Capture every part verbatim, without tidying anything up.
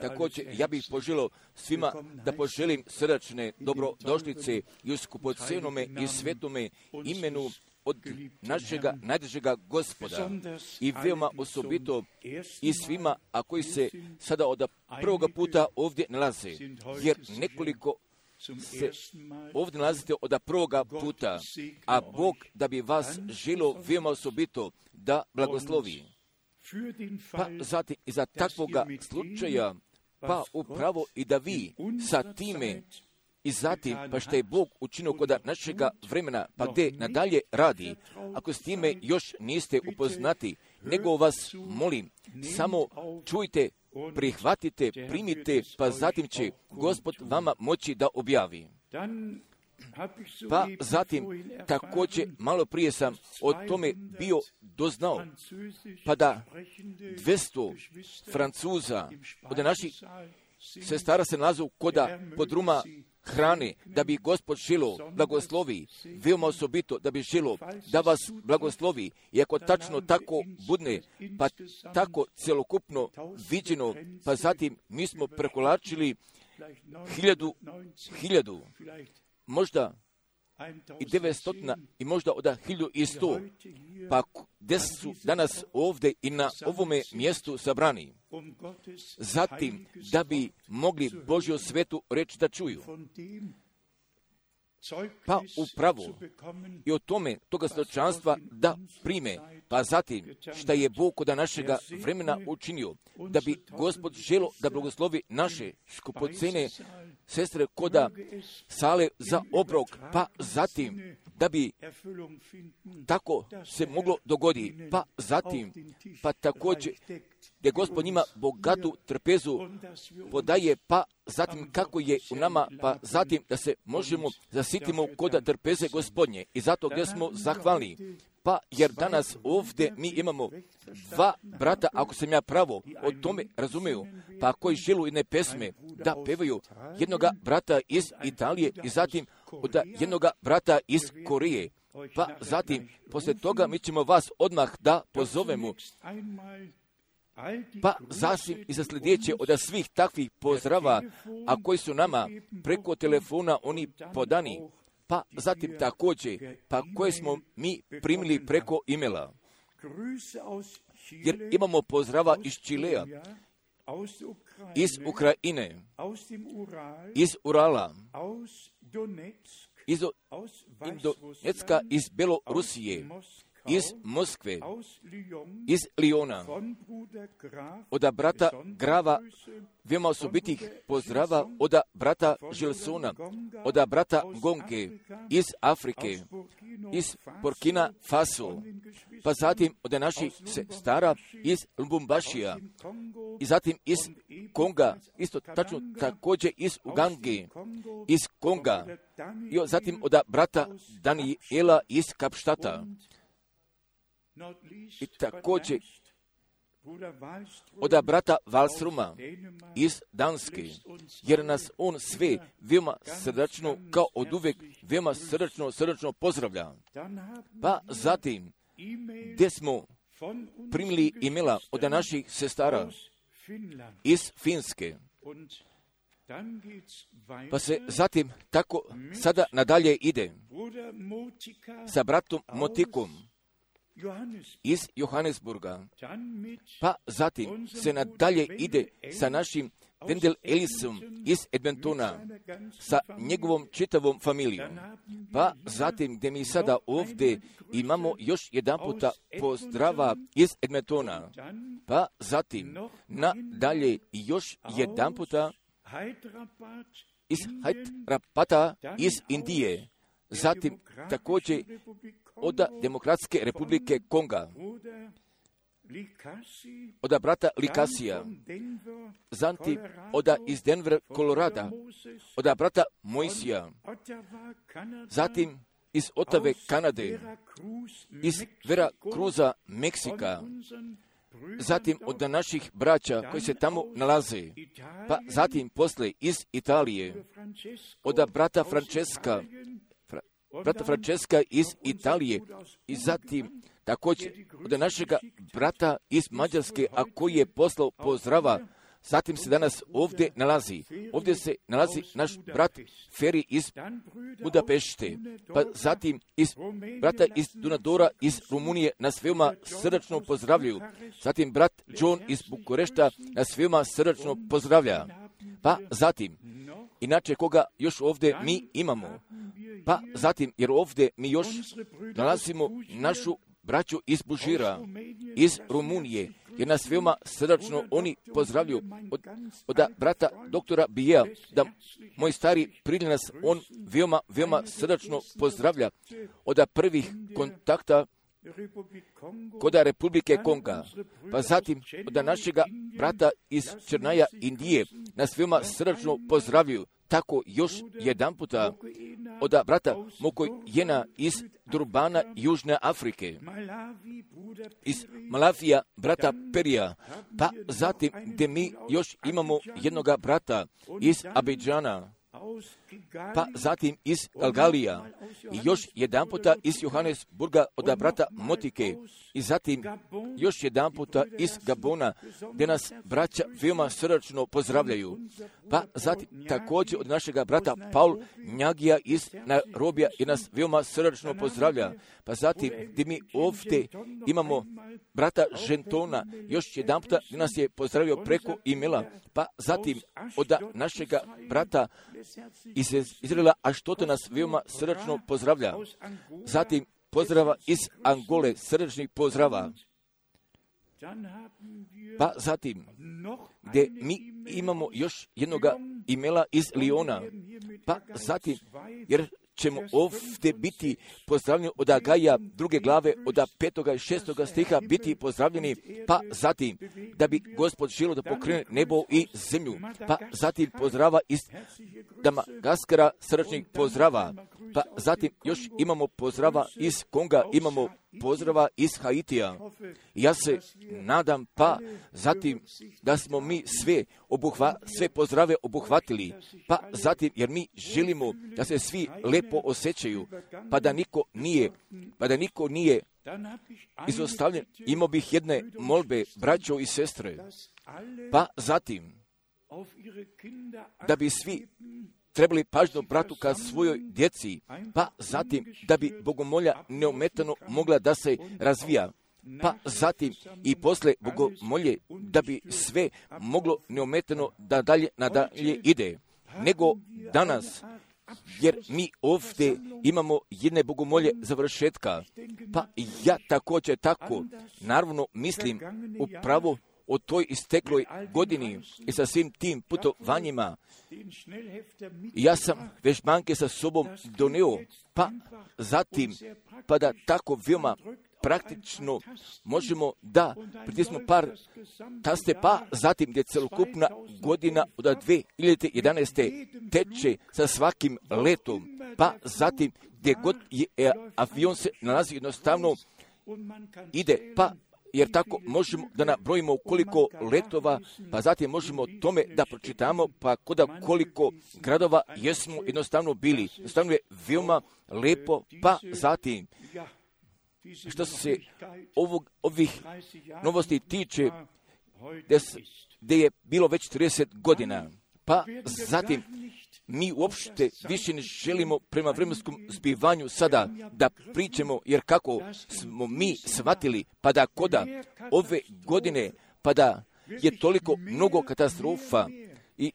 Također, ja bih poželio svima da poželim srdačne dobrodošlice i u skupocenome i svetome imenu od našega najdražega Gospoda i veoma osobito i svima, a koji se sada od prvoga puta ovdje nalaze, jer nekoliko se ovdje nalazite od prvoga puta, a Bog da bi vas želio veoma osobito da blagoslovi. Pa zatim i za takvoga slučaja, pa upravo i da vi sa time i zatim, pa što je Bog učinio kod našega vremena, pa gdje nadalje radi, ako s time još niste upoznati, nego vas molim, samo čujte, prihvatite, primite, pa zatim će Gospod vama moći da objavi. Pa zatim, također, malo prije sam o tome bio doznao, pa da dvjesto Francuza od naših sestara se nalazu koda podruma hrane, da bi Gospod želio blagoslovi, veoma osobito da bi želio da vas blagoslovi, i ako tačno tako budne, pa tako celokupno viđeno, pa zatim mi smo prekolačili hiljadu, hiljadu, možda i devetstotina i možda od hiljadu i sto, pa gdje su danas ovdje i na ovome mjestu sabrani. Zatim, da bi mogli Božju svetu reč da čuju. Pa upravo i o tome toga svjedočanstva da prime, pa zatim šta je Bog kod našega vremena učinio, da bi Gospod želio da blagoslovi naše skupocene sestre koda sale za obrok, pa zatim da bi tako se moglo dogoditi, pa zatim, pa također gdje Gospod njima bogatu trpezu podaje, pa zatim kako je u nama, pa zatim da se možemo zasitimo kod trpeze Gospodnje. I zato gdje smo zahvalni, pa jer danas ovdje mi imamo dva brata, ako sam ja pravo o tome razumiju, pa koji želu jedne pesme da pevaju, jednoga brata iz Italije i zatim od jednoga brata iz Koreje. Pa zatim, poslije toga mi ćemo vas odmah da pozovemo, pa zasim i za sljedeće od svih takvih pozdrava, a koji su nama preko telefona oni podani, pa zatim također, pa koje smo mi primili preko e-maila. Jer imamo pozdrava iz Čilea, iz Ukrajine, iz Urala, iz Donecka, iz Belorusije, iz Moskve, iz Lijona, od brata Grava, veoma osobitih pozdrava, od brata Žilsona, od brata Gonke, iz Afrike, iz Burkina Faso, pa zatim od naših stara iz Lubumbašija, i zatim iz Konga, isto tačno također iz Ugange, iz Konga, i zatim od brata Daniela iz Kapštata. I također od brata Valsruma iz Danske, jer nas on sve veoma srdačno, kao od uvek, veoma srdačno, srdačno pozdravlja. Pa zatim, gdje smo primili e-maila od naših sestara iz Finske, pa se zatim tako sada nadalje ide sa bratom Motikom iz Johannesburga, pa zatim se nadalje ide sa našim Wendel Ellisom iz Edmontona, sa njegovom čitavom familijom. Pa zatim gdje mi sada ovdje imamo još jedan puta pozdrava iz Edmontona, pa zatim nadalje još jedan puta iz Hyderabada iz Indije, zatim također od Demokratske republike Konga, od brata Likasija, zatim od iz Denver, Kolorada, od brata Mojsija, zatim iz Otave, Kanade, iz Vera Cruza, Meksika, zatim od naših braća koji se tamo nalaze, pa zatim posle iz Italije, od brata Francesca, brata Francesca iz Italije, i zatim također od našega brata iz Mađarske, a koji je poslao pozdrava zatim se danas ovdje nalazi. Ovdje se nalazi naš brat Feri iz Budapešte, pa zatim iz brata iz Dunadora iz Rumunije nas veoma srdačno pozdravljaju. Zatim brat John iz Bukurešta nas veoma srdačno pozdravlja. Pa zatim, inače koga još ovdje mi imamo? Pa zatim, jer ovdje mi još nalazimo našu braću iz Bužira, iz Rumunije, jer nas veoma srdačno oni pozdravljaju. Od, od brata doktora Bijea, da moj stari prijatelj nas on veoma, veoma srdačno pozdravlja. Od prvih kontakta kod Republike Konga, pa zatim od našega brata iz Črnaja Indije nas veoma srdačno pozdravljaju. Tako još jedan puta od brata Mokojena iz Durbana, Južne Afrike, iz Malavija, brata Perija, pa zatim gdje mi još imamo jednoga brata iz Abidžana, pa zatim iz Galgalija i još jedan puta iz Johannesburga od brata Motike i zatim još jedan puta iz Gabona gdje nas braća veoma srdačno pozdravljaju. Pa zatim također od našega brata Paul Njagija iz Nairobija i nas veoma srdačno pozdravlja. Pa zatim gdje mi ovdje imamo brata Žentona, još jedan puta gdje nas je pozdravio preko e-maila. Pa zatim od našega brata iz Izraela, a što to nas veoma srdačno pozdravlja. Zatim pozdrava iz Angole, srdečnih pozdrava. Pa zatim, gdje mi imamo još jednoga e-maila iz Liona. Pa zatim, jer ćemo ovdje biti pozdravljeni od Agaja druge glave, od petoga i šestoga stiha biti pozdravljeni, pa zatim da bi Gospod želio da pokrene nebo i zemlju, pa zatim pozdrava iz Damagaskara, srdačnih pozdrava, pa zatim još imamo pozdrava iz Konga, imamo pozdrava iz Haitija. Ja se nadam pa zatim da smo mi sve, obuhva, sve pozdrave obuhvatili, pa zatim jer mi želimo da se svi lepo osjećaju, pa da niko nije, pa da niko nije izostavljen. Imao bih jedne molbe, braćo i sestre, pa zatim da bi svi trebali pažnju bratu ka svojoj djeci, pa zatim da bi bogomolja neometano mogla da se razvija, pa zatim i posle bogomolje da bi sve moglo neometano da dalje nadalje ide, nego danas, jer mi ovdje imamo jedne bogomolje završetka, pa ja također tako, naravno mislim upravo o toj istekloj godini i sa svim tim putovanjima. Ja sam vežbanke sa sobom doneo, pa zatim, pa da tako veoma praktično možemo da pritismo par taste, pa zatim gdje celokupna godina od dvije hiljade jedanaeste teče sa svakim letom, pa zatim gdje god je avion se nalazi jednostavno ide, pa jer tako možemo da nabrojimo koliko letova, pa zatim možemo tome da pročitamo, pa koda koliko gradova jesmo jednostavno bili. Jednostavno je veoma lepo, pa zatim, što se ovog, ovih novosti tiče, gdje je bilo već trideset godina, pa zatim mi uopšte više ne želimo prema vremenskom zbivanju sada da pričamo, jer kako smo mi shvatili, pa da koda ove godine, pa da je toliko mnogo katastrofa i,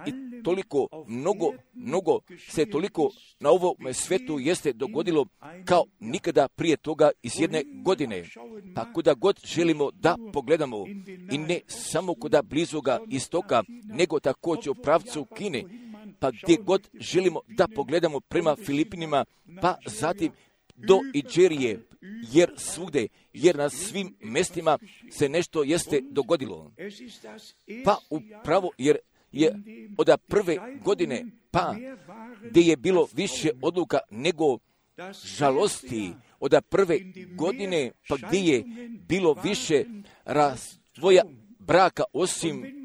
i toliko mnogo, mnogo se toliko na ovom svetu jeste dogodilo kao nikada prije toga iz jedne godine. Pa kuda god želimo da pogledamo, i ne samo kuda blizoga istoka, nego također u pravcu Kine, pa gdje god želimo da pogledamo prema Filipinima, pa zatim do Iđerije, jer svugde, jer na svim mjestima se nešto jeste dogodilo. Pa upravo jer je od prve godine, pa gdje je bilo više odluka nego žalosti, od prve godine, pa gdje je bilo više razvoja braka osim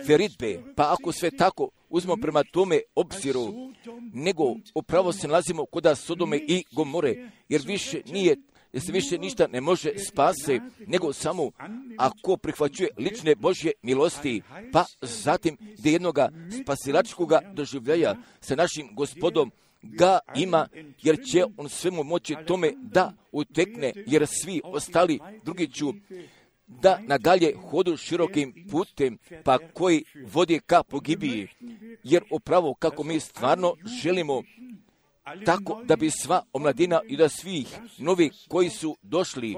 veritbe, pa ako sve tako uzmemo prema tome obziru, nego upravo se nalazimo kod Sodome i Gomore, jer više nije jer se više ništa ne može spase, nego samo ako prihvaćuje lične Božje milosti, pa zatim gdje jednoga spasilačkoga doživljaja sa našim Gospodom ga ima, jer će on svemu moći tome da utekne, jer svi ostali drugi ću da nadalje hodu širokim putem, pa koji vodi ka pogibiji, jer upravo kako mi stvarno želimo, tako da bi sva omladina i da svih novih koji su došli,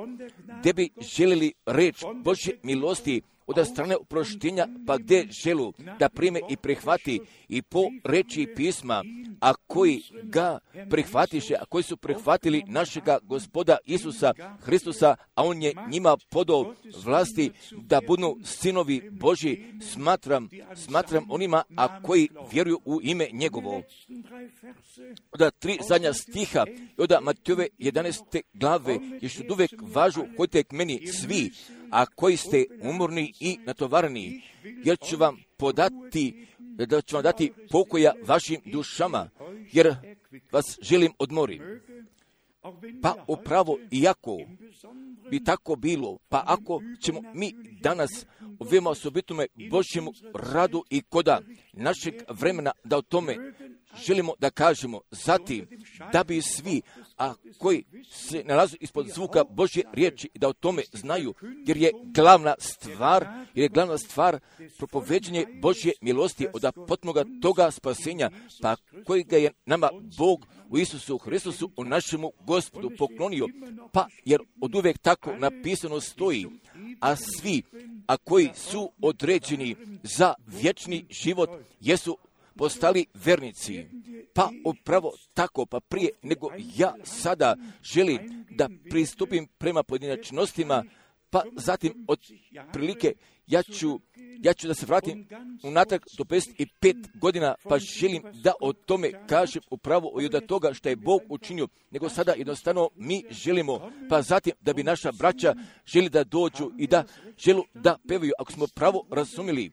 gdje bi željeli reč Božje milosti od strane oproštenja, pa gdje želu da prime i prihvati i po reči pisma, a koji ga prihvatiše, a koji su prihvatili našega Gospoda Isusa Hristusa, a on je njima podao vlasti da budu sinovi Božji, smatram, smatram onima, a koji vjeruju u ime njegovo. Od tri zadnja stiha od Matejove jedanaeste glave još od uvek važu, hodite k meni svi, a koji ste umorni i natovareni, jer ću vam podati, da ću vam dati pokoja vašim dušama, jer vas želim odmori. Pa upravo, iako bi tako bilo, pa ako ćemo mi danas u veoma osobitome Božjemu radu i koda našeg vremena da o tome želimo da kažemo, zatim da bi svi, a koji se nalaze ispod zvuka Božje riječi, da o tome znaju, jer je glavna stvar, jer je glavna stvar propoveđenje Božje milosti od potpunoga toga spasenja, pa kojega je nama Bog u Isusu Hristusu, u našemu Gospodu poklonio, pa jer od uvek tako napisano stoji, a svi, a koji su određeni za vječni život, jesu postali vernici. Pa upravo tako, pa prije nego ja sada želim da pristupim prema pojedinačnostima, pa zatim od prilike ja ću, ja ću da se vratim unatrag do pedeset pet godina, pa želim da o tome kažem upravo i od toga što je Bog učinio, nego sada jednostavno mi želimo, pa zatim da bi naša braća želi da dođu i da želu da pevaju, ako smo pravo razumili.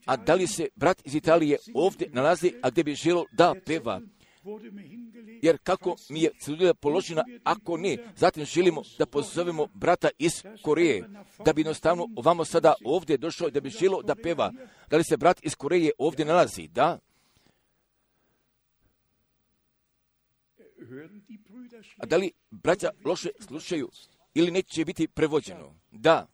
A da li se brat iz Italije ovdje nalazi, a gdje bi želo da peva? Jer kako mi je celulja položena, ako ne, zatim želimo da pozovemo brata iz Koreje, da bi jednostavno ovamo sada ovdje došao, da bi želo da peva. Da li se brat iz Koreje ovdje nalazi? Da. A da li braća loše slušaju ili neće biti prevođeno? Da.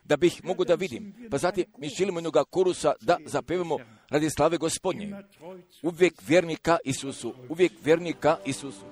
Da bih mogu da vidim. Pa zatim mi želimo jednoga korusa da zapevamo radi slave Gospodnje. Uvijek vjernika Isusu. Uvijek vjernika Isusu.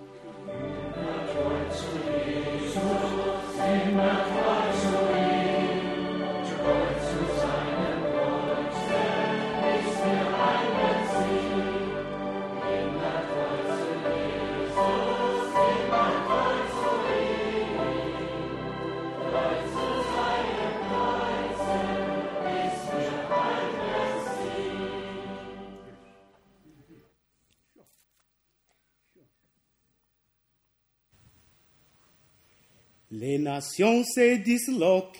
Les nations se disloquent,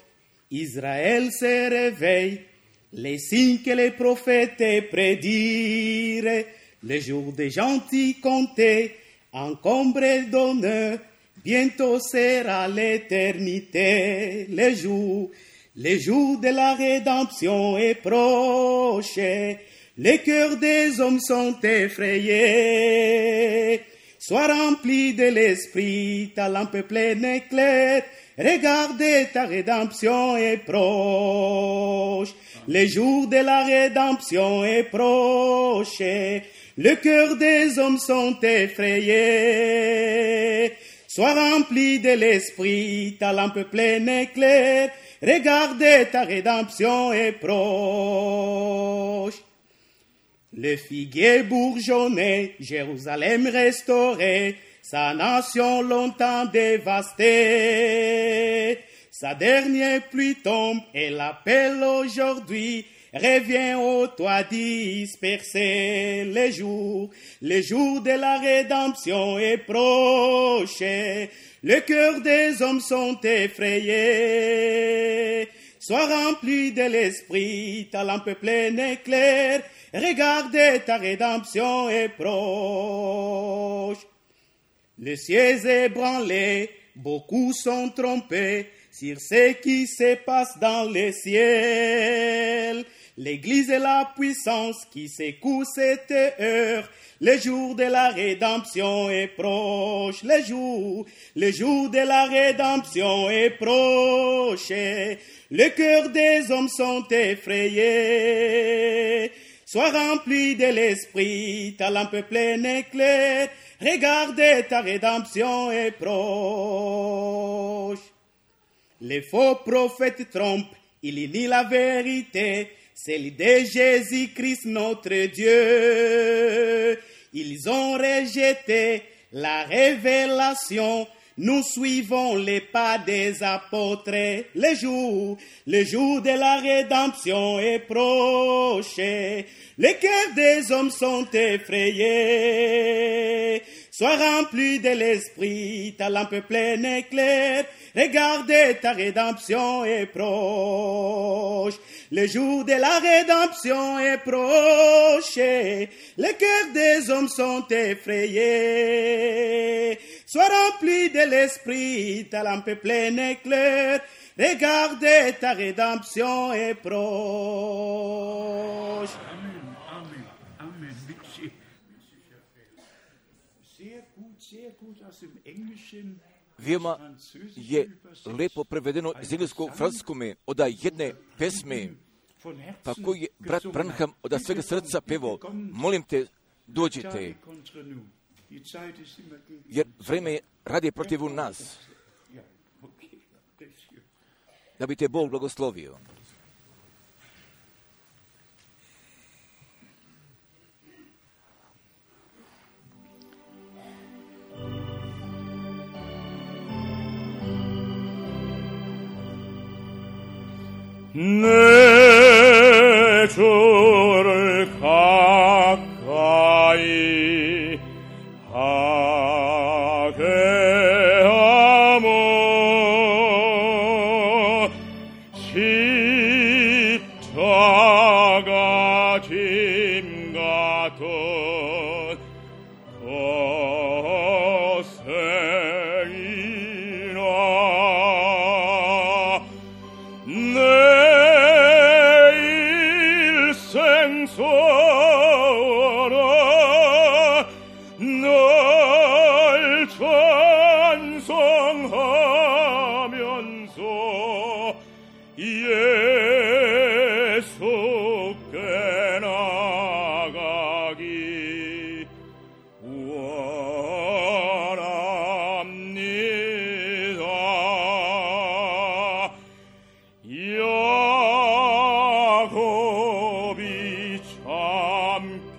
Israël se réveille, les signes que les prophètes prédirent, le jour des gentils comptés, encombrés d'honneur, bientôt sera l'éternité, le jour, le jour de la rédemption est proche, les cœurs des hommes sont effrayés. Sois rempli de l'esprit, ta lampe pleine éclaire, regardez ta rédemption est proche. Le jour de la rédemption est proche, le cœur des hommes sont effrayés. Sois rempli de l'esprit, ta lampe pleine éclaire, regardez ta rédemption est proche. Le figuier bourgeonnait, Jérusalem restaurée, sa nation longtemps dévastée. Sa dernière pluie tombe et l'appel aujourd'hui revient au toit dispersé. Le jour, le jour de la rédemption est proche, le cœur des hommes sont effrayés. Sois rempli de l'esprit, ta lampe pleine éclaire, regardez ta rédemption est proche. Le ciel est ébranlé, beaucoup sont trompés sur ce qui se passe dans le ciel. L'Église est la puissance qui secoue cette heure. Le jour de la rédemption est proche. Le jour, le jour de la rédemption est proche. Le cœur des hommes sont effrayés. Sois rempli de l'esprit, ta lampe pleine et claire. Regarde, ta rédemption est proche. Les faux prophètes trompent, ils nient la vérité, celle de Jésus-Christ notre Dieu. Ils ont rejeté la révélation. Nous suivons les pas des apôtres. Le jour, le jour de la rédemption est proche. Les cœurs des hommes sont effrayés. Sois rempli de l'esprit, ta lampe pleine et claire. Regarde, ta rédemption est proche. Le jour de la rédemption est proche. Les cœurs des hommes sont effrayés. Sois rempli de l'esprit, ta lampe pleine et claire. Regarde, ta rédemption est proche. Amen, Amen, Amen. Sehr gut, sehr gut aus dem Englischen. Veoma je lepo prevedeno iz engleskog francuskome od jedne pesme, pa koji je brat Branham od svega srca pevao, molim te, dođite, jer vreme radi protiv nas, da bi te Bog blagoslovio. 내 주를 가까이 하게 하모 십자가 짐 같은 고생이나 소라 널 찬송하면서 예수께 나가기 원합니다. 야곱이 함께여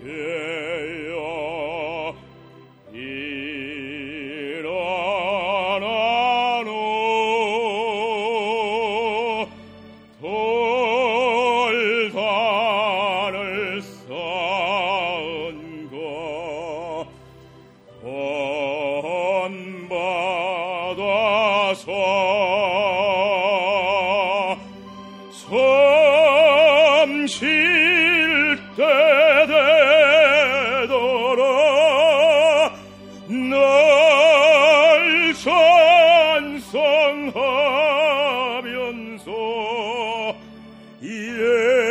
일어나노 돌산을 쌓은 것 본받아서 섬실 때 되도록 널 찬송하면서 예수께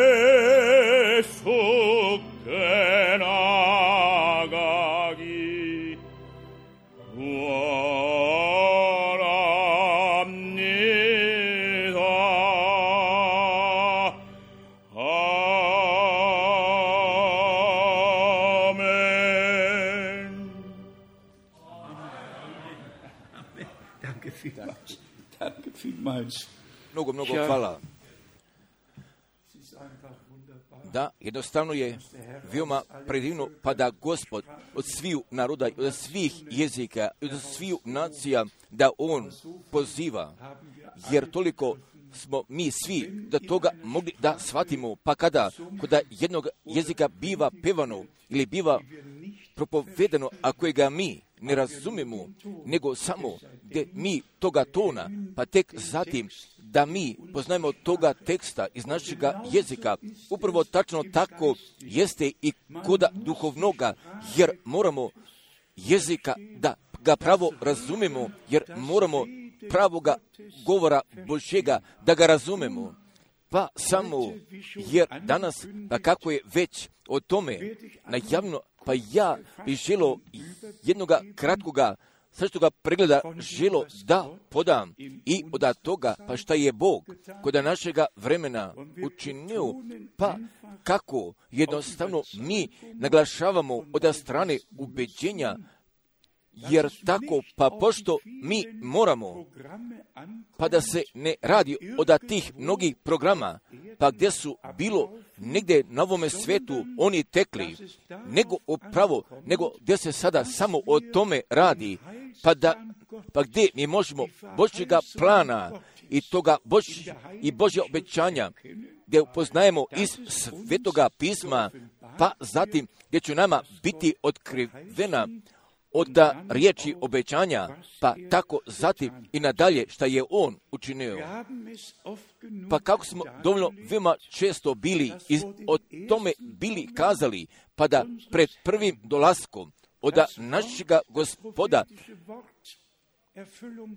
나가기 원합니다. Danke vielmals. Danke vielmals. Mnogo, mnogo hvala. Da, jednostavno je veoma predivno, pa da Gospod od sviju naroda, od svih jezika, od sviju nacija, da On poziva, jer toliko smo mi svi da toga mogli da shvatimo, pa kada kod jednog jezika biva pevano ili biva propovedano, a kojega mi ne razumemo, nego samo gdje mi toga tona, pa tek zatim da mi poznajemo toga teksta iz našega jezika. Upravo tačno tako jeste i kod duhovnoga, jer moramo jezika da ga pravo razumemo, jer moramo pravoga govora Božjega da ga razumemo. Pa samo, jer danas, pa kako je već o tome najavno, pa ja bih želo jednoga kratkoga srčnoga pregleda želo da podam i od toga, pa šta je Bog kod našega vremena učinio, pa kako jednostavno mi naglašavamo od strane ubeđenja, jer tako, pa pošto mi moramo, pa da se ne radi od tih mnogih programa, pa gdje su bilo negdje na ovome svetu oni tekli, nego upravo, nego gdje se sada samo o tome radi, pa da, pa gdje mi možemo Božjega plana i toga Božje i Božja obećanja, gdje upoznajemo iz Svetoga pisma, pa zatim gdje će nama biti otkrivena od riječi obećanja, pa tako zatim i nadalje šta je on učinio. Pa kako smo dovoljno veoma često bili i o tome bili kazali, pa da pred prvim dolaskom od našega Gospoda,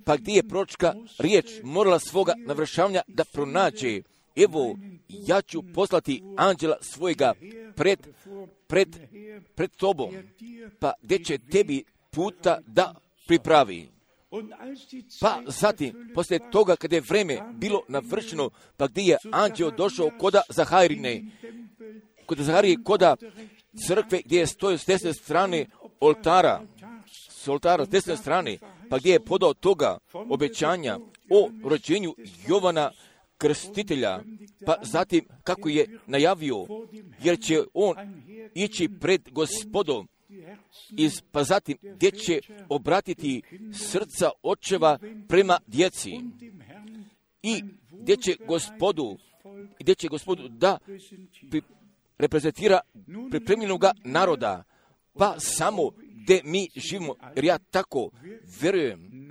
pa gdje je proročka riječ morala svoga navršavanja da pronađe, evo, ja ću poslati anđela svojega pred, pred, pred tobom, pa gdje će tebi puta da pripravi. Pa zatim, poslije toga kada je vreme bilo navršeno, pa gdje je anđeo došao koda Zaharine, koda Zaharije, koda crkve gdje je stojio s desne strane oltara, s oltara s desne strane, pa gdje je podao toga obećanja o rođenju Jovana Krstitelja, pa zatim kako je najavio, jer će on ići pred Gospodom, iz, pa zatim gdje će obratiti srca očeva prema djeci i gdje će Gospodu, gdje će Gospodu da pri, reprezentira pripremljenoga naroda, pa samo gdje mi živimo, jer ja tako vjerujem,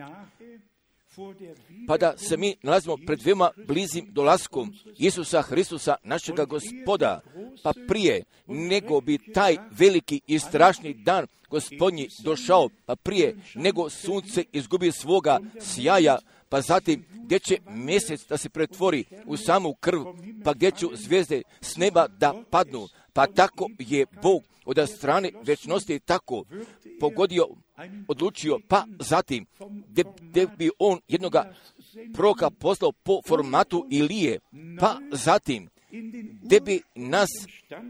pa da se mi nalazimo pred veoma blizim dolaskom Isusa Hristusa, našega Gospoda, pa prije nego bi taj veliki i strašni dan Gospodnji došao, pa prije nego sunce izgubi svoga sjaja, pa zatim gdje će mjesec da se pretvori u samu krv, pa gdje će zvijezde s neba da padnu, pa tako je Bog od strane večnosti tako pogodio, odlučio, pa zatim gdje, gdje bi on jednoga proroka poslao po formatu Ilije, pa zatim gdje bi nas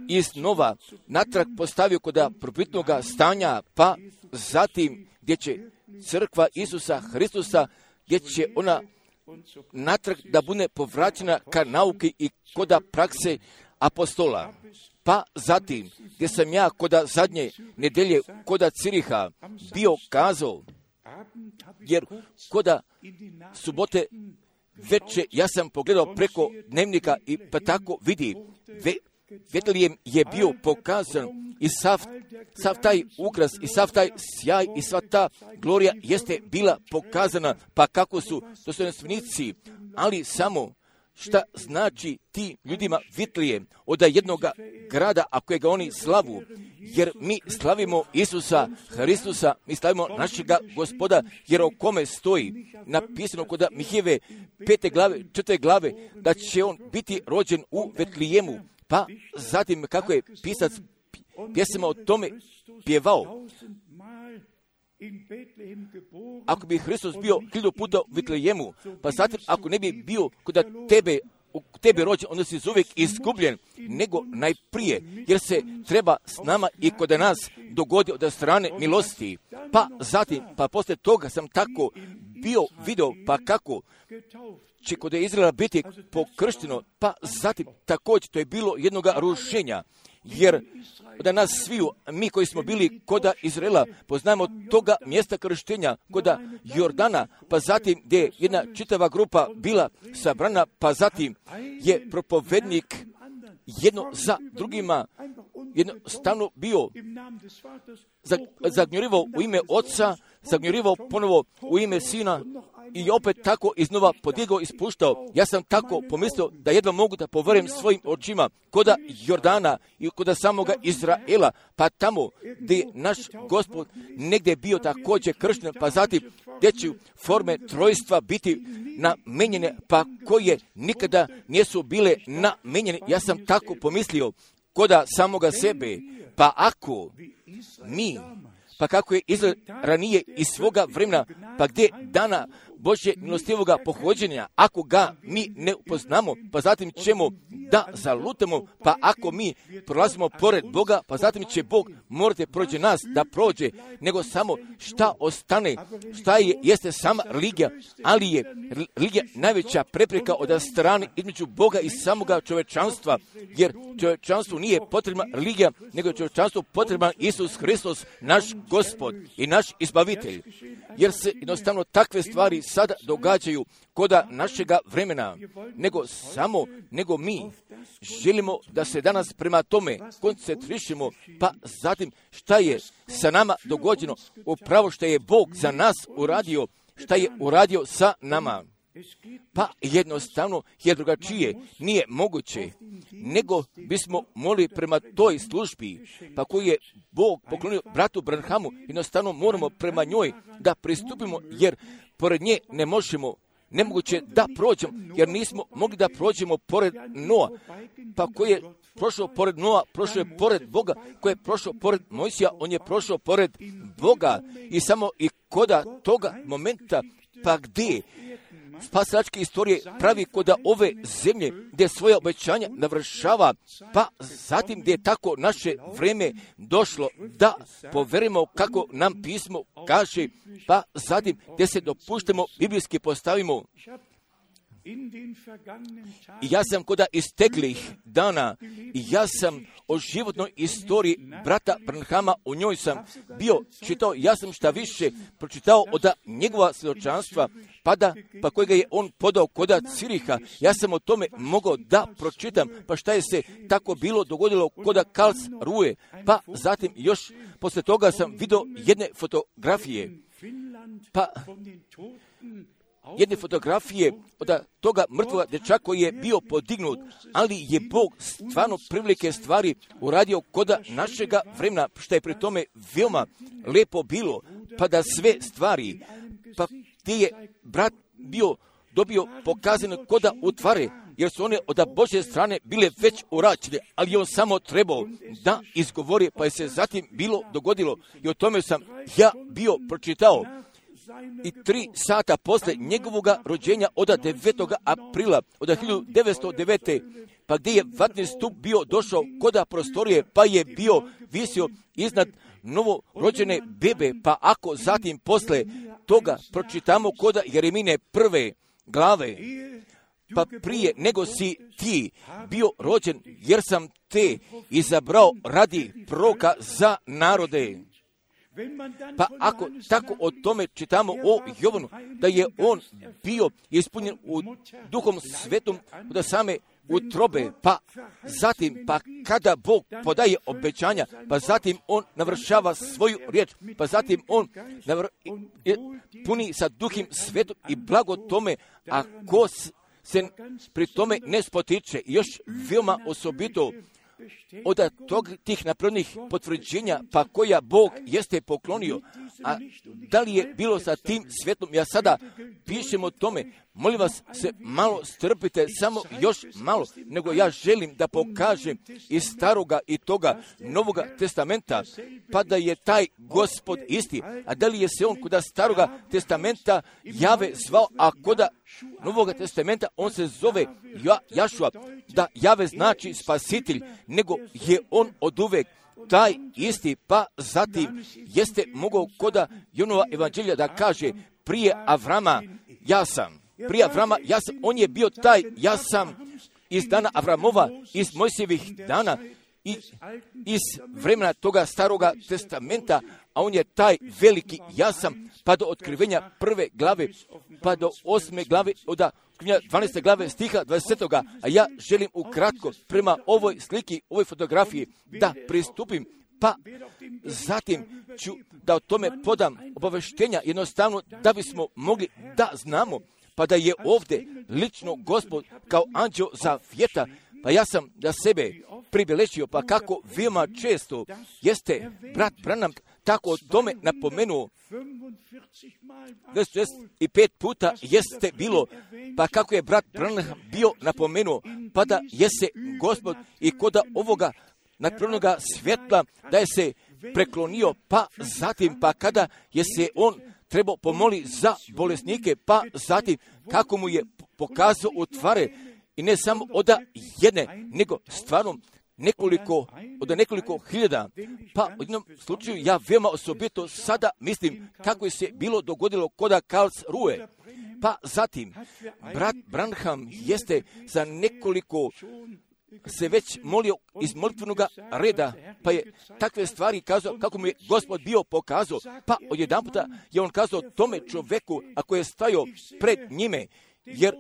iznova natrag postavio kod prvobitnoga stanja, pa zatim gdje će crkva Isusa Hristusa, gdje će ona natrag da bude povraćena ka nauki i koda prakse apostola. Pa zatim, gdje sam ja koda zadnje nedelje, koda Ciriha bio kazao, jer koda subote veče ja sam pogledao preko dnevnika i pa tako vidi, ve, Betlejem je bio pokazan i sav, sav taj ukras i sav taj sjaj i sva ta glorija jeste bila pokazana, pa kako su dostojanstvenici, ali samo šta znači ti ljudima Betlejem od jednog grada, ako je ga oni slavu, jer mi slavimo Isusa Hristusa, mi slavimo našega Gospoda, jer o kome stoji napisano kod Mihijeve pete glave, četvrte glave, da će on biti rođen u Betlejemu. Pa zatim kako je pisac pjesama o tome pjevao, ako bi Hristos bio hiljadu puta u Betlejemu, pa zatim ako ne bi bio kod tebe, u tebe rođen, onda si uvijek izgubljen, nego najprije, jer se treba s nama i kod nas dogodi od strane milosti. Pa zatim, pa poslije toga sam tako bio video, pa kako će kod Izraela biti pokršteno, pa zatim također to je bilo jednoga rušenja, jer da nas sviju, mi koji smo bili koda Izraela, poznajemo toga mjesta krštenja, koda Jordana, pa zatim gdje je jedna čitava grupa bila sabrana, pa zatim je propovednik jedno za drugima jednostavno bio zagnjurivao u ime oca, zagnjurivao ponovo u ime sina i opet tako iznova podigao i spuštao. Ja sam tako pomislio da jedva mogu da poverujem svojim očima koda Jordana i koda samoga Izraela, pa tamo gdje naš Gospod negdje bio također kršten, pa zatim gdje će forme trojstva biti namenjene, pa koje nikada nisu bile namenjene. Ja sam tako pomislio koda samoga sebe, pa ako mi, pa kako je izgled ranije iz svoga vremena, pa gdje dana Božje milostivoga pohođenja, ako ga mi ne upoznamo, pa zatim ćemo da zalutamo, pa ako mi prolazimo pored Boga, pa zatim će Bog morate prođe nas da prođe, nego samo šta ostane, šta je, jeste sama religija, ali je religija najveća prepreka od strane između Boga i samoga čovečanstva, jer čovečanstvu nije potrebna religija, nego je čovečanstvu potreban Isus Hristos, naš Gospod i naš Izbavitelj, jer se jednostavno takve stvari sada događaju koda našega vremena, nego samo, nego mi želimo da se danas prema tome koncentrišemo, pa zatim šta je sa nama dogođeno, upravo što je Bog za nas uradio, šta je uradio sa nama. Pa jednostavno je drugačije, nije moguće, nego bismo molili prema toj službi, pa koju je Bog poklonio bratu Branhamu, jednostavno moramo prema njoj da pristupimo, jer pored nje ne možemo, nemoguće da prođemo, jer nismo mogli da prođemo pored Noa, pa koji je prošao pored Noa, prošao je pored Boga, koji je prošao pored Mojsija, on je prošao pored Boga i samo i koda toga momenta, pa gdje spasilačke istorije pravi koda ove zemlje gdje svoje obećanja navršava, pa zatim gdje je tako naše vreme došlo da poverimo kako nam pismo kaže, pa zatim gdje se dopuštamo biblijski postavimo. I ja sam koda isteklih dana, i ja sam o životnoj istoriji brata Branhama, u njoj sam bio čitao, ja sam šta više pročitao od njegova svjedočanstva, pa da, pa kojega je on podao koda Ciriha, ja sam o tome mogao da pročitam, pa šta je se tako bilo dogodilo koda Karlsruhe, pa zatim još posle toga sam vidio jedne fotografije, pa jedne fotografije od toga mrtvoga dječaka koji je bio podignut, ali je Bog stvarno prevelike stvari uradio koda našega vremena, što je pri tome veoma lepo bilo, pa da sve stvari, pa gdje je brat bio dobio pokazane koda utvare, jer su one od Božje strane bile već uračene, ali on samo trebao da izgovori, pa je se zatim bilo dogodilo i o tome sam ja bio pročitao. I tri sata posle njegovog rođenja od devetog aprila od hiljadu devetsto devete. pa gdje je vatni stup bio došao koda prostorije, pa je bio visio iznad novorođene bebe, pa ako zatim posle toga pročitamo koda Jeremine prve glave, pa prije nego si ti bio rođen, jer sam te izabrao radi proroka za narode. Pa ako tako o tome čitamo o Jovanu, da je on bio ispunjen u Duhom Svetom od same utrobe, pa zatim, pa kada Bog podaje obećanja, pa zatim on navršava svoju riječ, pa zatim on navr... puni sa Duhom Svetom i blago tome, a ko se pri tome ne spotiče. I još veoma osobito od tog, tih napravljenih potvrđenja, pa koja Bog jeste poklonio, a da li je bilo sa tim svetom, ja sada pišem o tome, molim vas se malo strpite, samo još malo, nego ja želim da pokažem iz staroga i toga Novoga testamenta, pa da je taj Gospod isti, a da li je se on kod staroga testamenta Jave zvao, a kod Novoga testamenta on se zove ja, Jašua, da Jave znači spasitelj, nego je on oduvek taj isti, pa zatim jeste mogao koda Jonova evanđelja da kaže prije Avrama ja sam, prije Avrama ja sam, on je bio taj ja sam iz dana Avramova, iz Mojsijevih dana, i iz vremena toga staroga testamenta, a on je taj veliki ja sam, pa do otkrivenja prve glave, pa do osme glave, od dvanaeste glave stiha dvadesetog. A ja želim ukratko prema ovoj sliki, ovoj fotografiji da pristupim, pa zatim ću da o tome podam obaveštenja, jednostavno da bismo mogli da znamo, pa da je ovdje lično Gospod kao anđeo zavjeta. Pa ja sam da sebe pribeležio, pa kako veoma često jeste brat Branham tako o tome napomenuo, dvadeset pet puta jeste bilo, pa kako je brat Branham bio napomenuo, pa da jese Gospod i koda ovoga nadprirodnoga svjetla da je se preklonio, pa zatim, pa kada je se on trebao pomoli za bolesnike, pa zatim kako mu je pokazao u tvare, i ne samo od jedne, nego stvarno nekoliko, od nekoliko hiljada. Pa u jednom slučaju ja veoma osobito sada mislim kako je se bilo dogodilo koda Karlsruhe. Pa zatim, brat Branham jeste za nekoliko se već molio iz molitvenog reda, pa je takve stvari kazao kako mu je Gospod bio pokazao, pa odjedanputa je on kazao tome čoveku ako je stajao pred njime, jer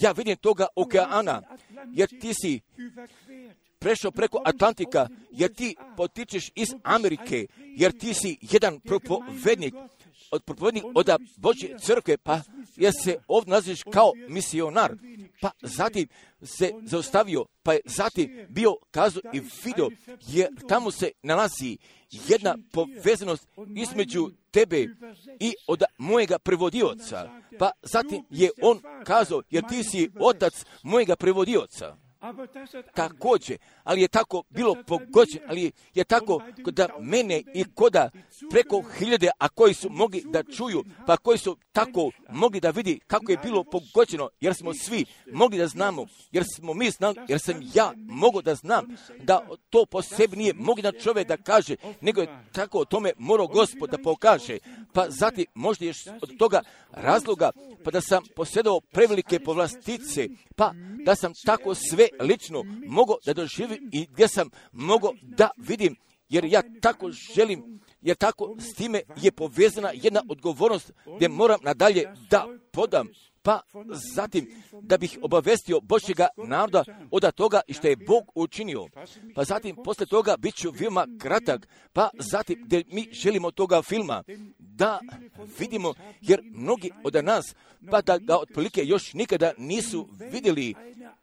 ja vidim toga okeana, jer ti si prešao preko Atlantika, jer ti potičeš iz Amerike, jer ti si jedan propovednik, od propovednik od Božje crkve, pa jer se ovdje naziviš kao misionar, pa zatim se zaustavio, pa je zatim bio kazao i vidio, jer tamo se nalazi jedna povezanost između tebe i od mojega prevodioca. Pa zatim je on kazao, jer ti si otac mojega prevodioca. Također, ali je tako bilo pogođeno, ali je tako da mene i koda preko hiljade, a koji su mogli da čuju, pa koji su tako mogli da vidi kako je bilo pogođeno, jer smo svi mogli da znamo, jer smo mi znali, jer sam ja mogao da znam, da to po sebi nije mogli da čovjek da kaže, nego je tako o tome morao Gospod da pokaže. Pa zatim možda još od toga razloga, pa da sam posjedao prevelike povlastice, pa da sam tako sve lično mogao da doživim i gdje sam mogao da vidim, jer ja tako želim, jer tako s time je povezana jedna odgovornost gdje moram nadalje da podam, pa zatim da bih obavestio Božjega naroda od toga i što je Bog učinio. Pa zatim poslije toga bit ću veoma kratak, pa zatim gdje mi želimo toga filma da vidimo, jer mnogi od nas, pa da ga otprilike još nikada nisu vidjeli,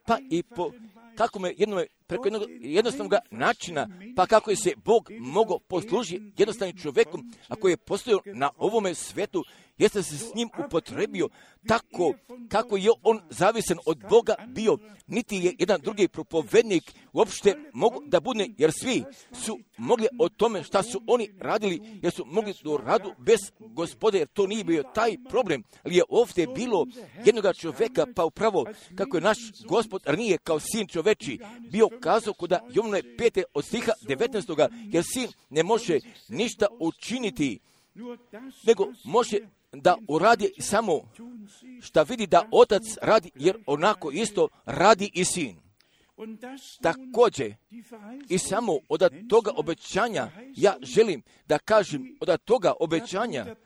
pa i po kako me jednom, preko jednog jednostavnog načina, pa kako je se Bog mogao poslužiti jednostavnim čovjekom, ako je postojao na ovome svijetu, jeste se s njim upotrebio tako kako je on zavisen od Boga bio, niti je jedan drugi propovednik uopšte mogu da bude, jer svi su mogli o tome šta su oni radili, jer su mogli do radu bez Gospoda, jer to nije bio taj problem, ali je ovdje bilo jednoga čovjeka, pa upravo kako je naš Gospod ranije kao sin čoveči bio kazao kuda Jovnove pete od stiha devetnaestoga, jer sin ne može ništa učiniti, nego može da uradi samo šta vidi da otac radi, jer onako isto radi i sin. Također, i samo od toga obećanja, ja želim da kažem od toga obećanja,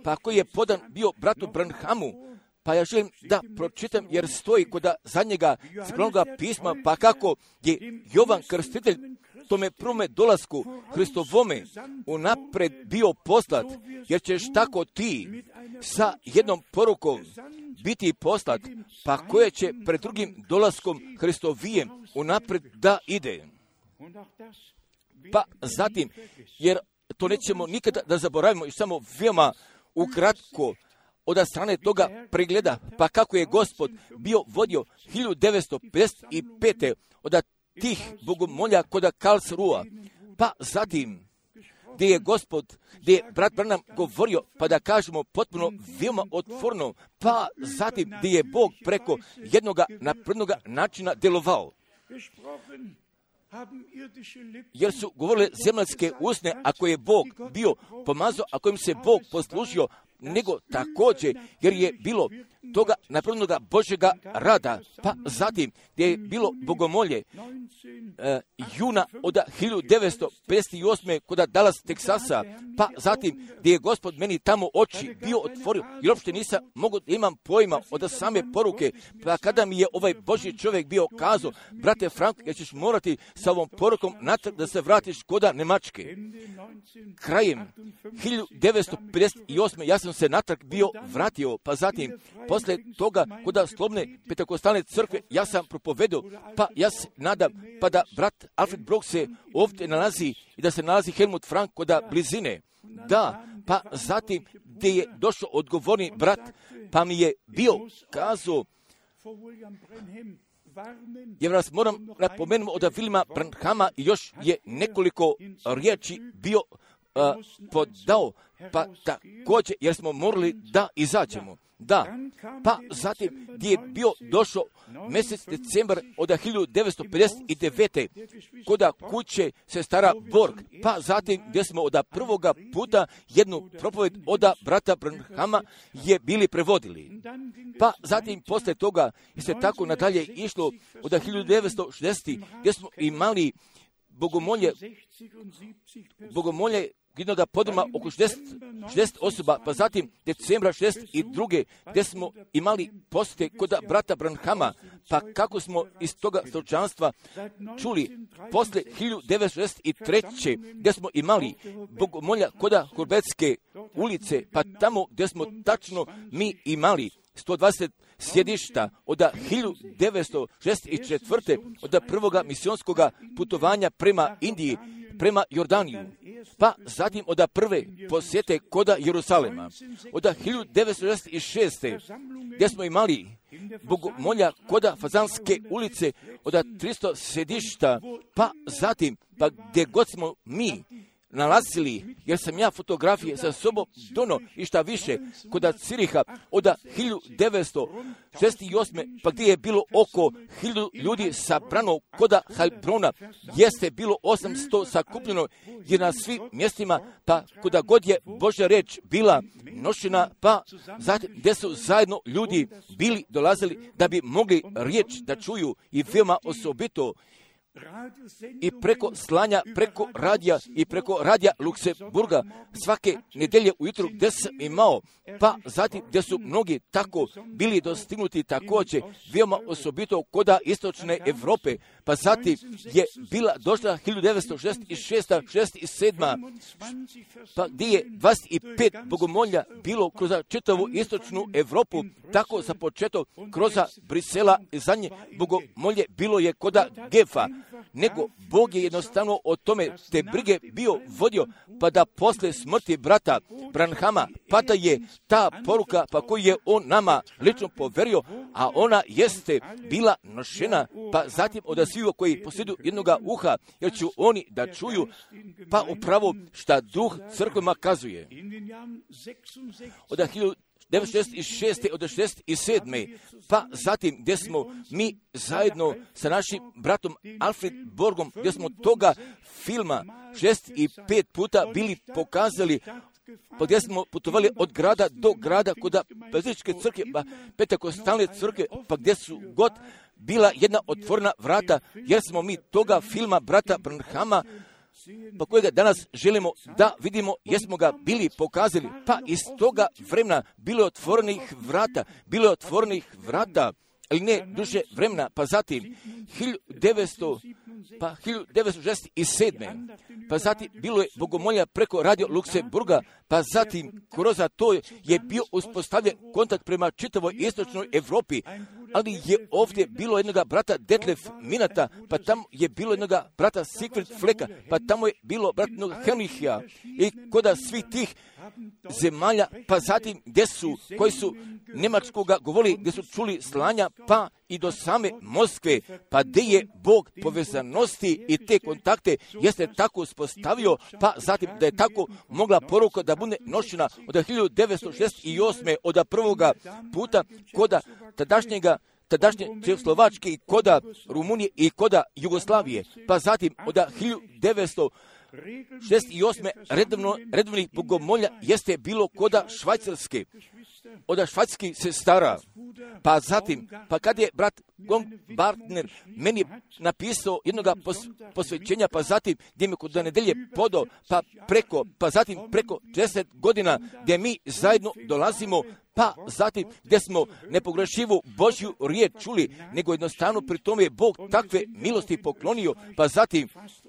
pa koji je podan bio bratu Branhamu, pa ja želim da pročitam, jer stoji kod zadnjega crkvenoga pisma, pa kako je Jovan Krstitelj tome prvome dolasku Hristovome unapred bio poslat, jer ćeš tako ti sa jednom porukom biti poslat, pa koje će pred drugim dolaskom Hristovijem unapred da ide. Pa zatim, jer to nećemo nikada da zaboravimo i samo veoma ukratko od strane toga pregleda, pa kako je Gospod bio vodio hiljadu devetsto pedeset pete od tih bogomolja kod Karlsruha, pa zatim gdje je Gospod, gdje je brat Branham govorio, pa da kažemo potpuno veoma otvoreno, pa zatim gdje je Bog preko jednoga naprednoga načina delovao. Jer su govorile zemaljske usne, ako je Bog bio pomazao, ako im se Bog poslužio, nego također jer je bilo toga napravljenoga Božjega rada, pa zatim gdje je bilo bogomolje e, juna od hiljadu devetsto pedeset osme kod Dallas, Teksasa, pa zatim gdje je Gospod meni tamo oči bio otvorio, jer uopšte nisam mogao da imam pojma od same poruke, pa kada mi je ovaj Božji čovjek bio kazao, brate Frank, jer ćeš morati sa ovom porukom natrag da se vratiš koda Nemačke. Krajem hiljadu devetsto pedeset osme ja sam se natrag bio vratio, pa zatim posle toga koda Slobodne Pentekostalne crkve ja sam propovedao, pa ja se nadam pa da brat Alfred Brooks se ovdje nalazi i da se nalazi Helmut Frank koda blizine. Da, pa zatim gdje je došao odgovorni brat, pa mi je bio kazao, jer vas moram napomenuti od Williama Branhama i još je nekoliko riječi bio uh, podao, pa također jer smo morali da izađemo. Da, pa zatim gdje je bio došao mjesec decembar od hiljadu devetsto pedeset devete koda kuće sestara Borg, pa zatim gdje smo od prvoga puta jednu propoved od brata Branhama je bili prevodili. Pa zatim posle toga je se tako nadalje išlo od hiljadu devetsto šezdeset gdje smo imali bogomolje, bogomolje jednoga podruma oko šezdeset, šezdeset osoba, pa zatim decembra šezdeset druge gdje smo imali posjete kod brata Branhama, pa kako smo iz toga slučanstva čuli posle hiljadu devetsto šezdeset treće gdje smo imali bogomolja kod Hurbetske ulice, pa tamo gdje smo tačno mi imali sto dvadeset sjedišta od hiljadu devetsto šezdeset četvrte od prvoga misionskoga putovanja prema Indiji, prema Jordaniju, pa zatim od prve posjete koda Jerusalema, od hiljadu devetsto šezdeset šeste gdje smo imali bogomolja koda Fazanske ulice od tristo sjedišta, pa zatim, pa gdje god smo mi nalazili, jer sam ja fotografije sa sobom dono i šta više kod Ciriha od hiljadu devetsto šezdeset osme pa gdje je bilo oko hiljadu ljudi sabrano kod Heilbrona, jeste bilo osamsto sakupljeno, jer na svim mjestima, pa kuda god je Božja reč bila nošena, pa zatim gdje su zajedno ljudi bili dolazili da bi mogli riječ da čuju i veoma osobito i preko slanja, preko radija i preko radija Luksemburga svake nedelje ujutru gdje sam imao, pa zatim gdje su mnogi tako bili dostignuti također veoma osobito koda istočne Europe, pa zatim je bila došla hiljadu devetsto šezdeset šeste šezdeset sedme pa gdje je dvadeset pet bogomolja bilo kroz čitavu istočnu Europu, tako za početak kroz Brisela i zadnje bogomolje bilo je koda Gefa, nego Bog je jednostavno o tome te brige bio vodio, pa da posle smrti brata Branhama, pa da je ta poruka pa koju je on nama lično poverio, a ona jeste bila nošena, pa zatim od svih koji posjeduju jednoga uha, jer ću oni da čuju, pa upravo šta duh crkvama kazuje. Od hiljadu devetsto šezdeset šeste od šezdeset sedme pa zatim gdje smo mi zajedno sa našim bratom Alfred Borgom, gdje smo toga filma šezdeset pet puta bili pokazali, pa gdje smo putovali od grada do grada kod Pezičke crkve, pa Pentekostalne crkve, pa gdje su god bila jedna otvorena vrata, jer smo mi toga filma brata Branhama, pa kojega danas želimo da vidimo, jesmo ga bili pokazali, pa iz toga vremena bilo je otvorenih vrata, bilo je otvorenih vrata, ali ne duže vremena, pa zatim hiljadu devetsto pa hiljadu devetsto šezdeset sedme pa zatim bilo je bogomolja preko radio Luksemburga, pa zatim kroz to je bio uspostavljen kontakt prema čitavoj istočnoj Europi, ali je ovdje bilo jednoga brata Detlef Minata, pa tamo je bilo jednoga brata Sigfrid Fleka, pa tamo je bilo brat Henricha i kod svih tih zemalja, pa zatim gdje su, koji su njemačkoga govorili, gdje su čuli slanja, pa i do same Moskve, pa gdje je Bog povezanosti i te kontakte jeste tako uspostavio, pa zatim da je tako mogla poruka da bude nošena od hiljadu devetsto šezdeset osme od prvoga puta koda tadašnjega tadašnje Čehoslovačke i koda Rumunije i koda Jugoslavije, pa zatim od hiljadu devetsto šest i osme redovno, redovnih bogomolja jeste bilo koda Švajcarske, od švajcarskih sestara. Pa zatim, pa kad je brat Baumgartner meni napisao jednoga pos, posvećenja, pa zatim gdje mi kod nedelje podao, pa preko, pa zatim preko deset godina gdje mi zajedno dolazimo, pa zatim gdje smo nepogrešivu Božju riječ čuli, nego jednostavno pri tome je Bog takve milosti poklonio, pa zatim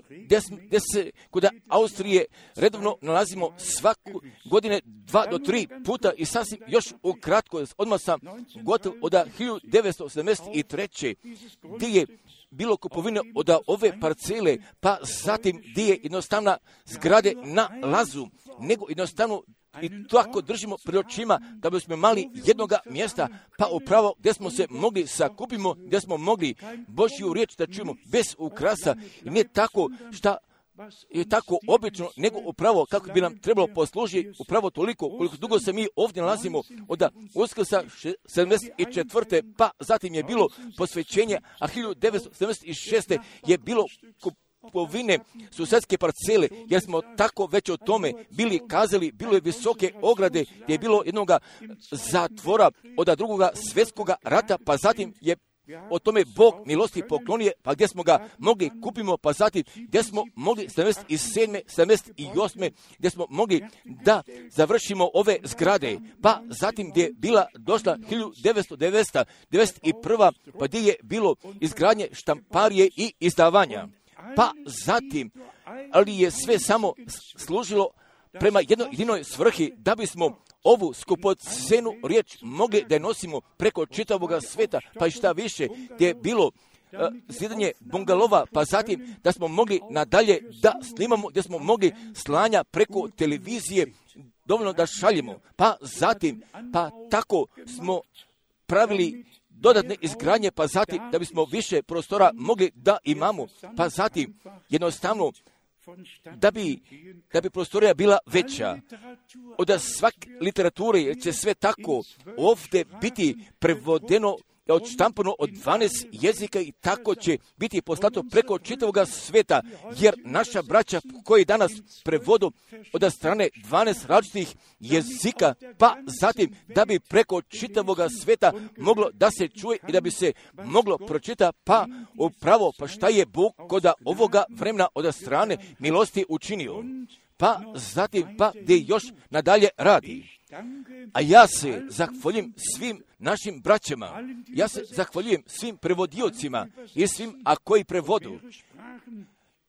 gdje, gdje se kod Austrije redovno nalazimo svaku godine dva do tri puta i sasvim još ukratko, odmah sam gotov od hiljadu devetsto sedamdeset treće gdje je bilo kupovine od ove parcele, pa zatim gdje je jednostavna zgrade na lazu, nego jednostavno i tako držimo pred očima da bismo imali jednoga mjesta, pa upravo gdje smo se mogli sakupimo, gdje smo mogli Božju riječ da čujemo bez ukrasa i nije tako šta je tako obično, nego upravo kako bi nam trebalo poslužiti upravo toliko koliko dugo se mi ovdje nalazimo od Uskrsa sedamdeset četvrte pa zatim je bilo posvećenje, a hiljadu devetsto sedamdeset šeste je bilo kupovine susedske parcele, jer smo tako već o tome bili kazali, bilo je visoke ograde, gdje je bilo jednoga zatvora od drugoga svjetskoga rata, pa zatim je o tome Bog milosti poklonije, pa gdje smo ga mogli kupimo, pa zatim gdje smo mogli sedamdeset sedme, sedamdeset osme gdje smo mogli da završimo ove zgrade, pa zatim gdje je bila došla hiljadu devetsto devedeset prva pa gdje je bilo izgradnje štamparije i izdavanja. Pa zatim, ali je sve samo služilo prema jednoj jedinoj svrhi da bismo ovu skupocenu riječ mogli da je nosimo preko čitavoga sveta, pa i šta više, gdje je bilo uh, zidanje bungalova, pa zatim da smo mogli nadalje da snimamo, gdje smo mogli slanja preko televizije, dovoljno da šaljemo, pa zatim, pa tako smo pravili dodatne izgradnje, pa zatim da bismo više prostora mogli da imamo, pa zatim jednostavno da bi, da bi prostorija bila veća. Od svake literature će sve tako ovdje biti prevodeno, odštampano od dvanaest jezika i tako će biti poslato preko čitavoga sveta, jer naša braća koji danas prevodu od strane dvanaest različitih jezika, pa zatim da bi preko čitavoga sveta moglo da se čuje i da bi se moglo pročita, pa upravo pa šta je Bog kod ovoga vremena od strane milosti učinio. Pa zatim pa gdje još nadalje radi. A ja se zahvaljujem svim našim braćama, ja se zahvaljujem svim prevodiocima i svim, a koji prevodu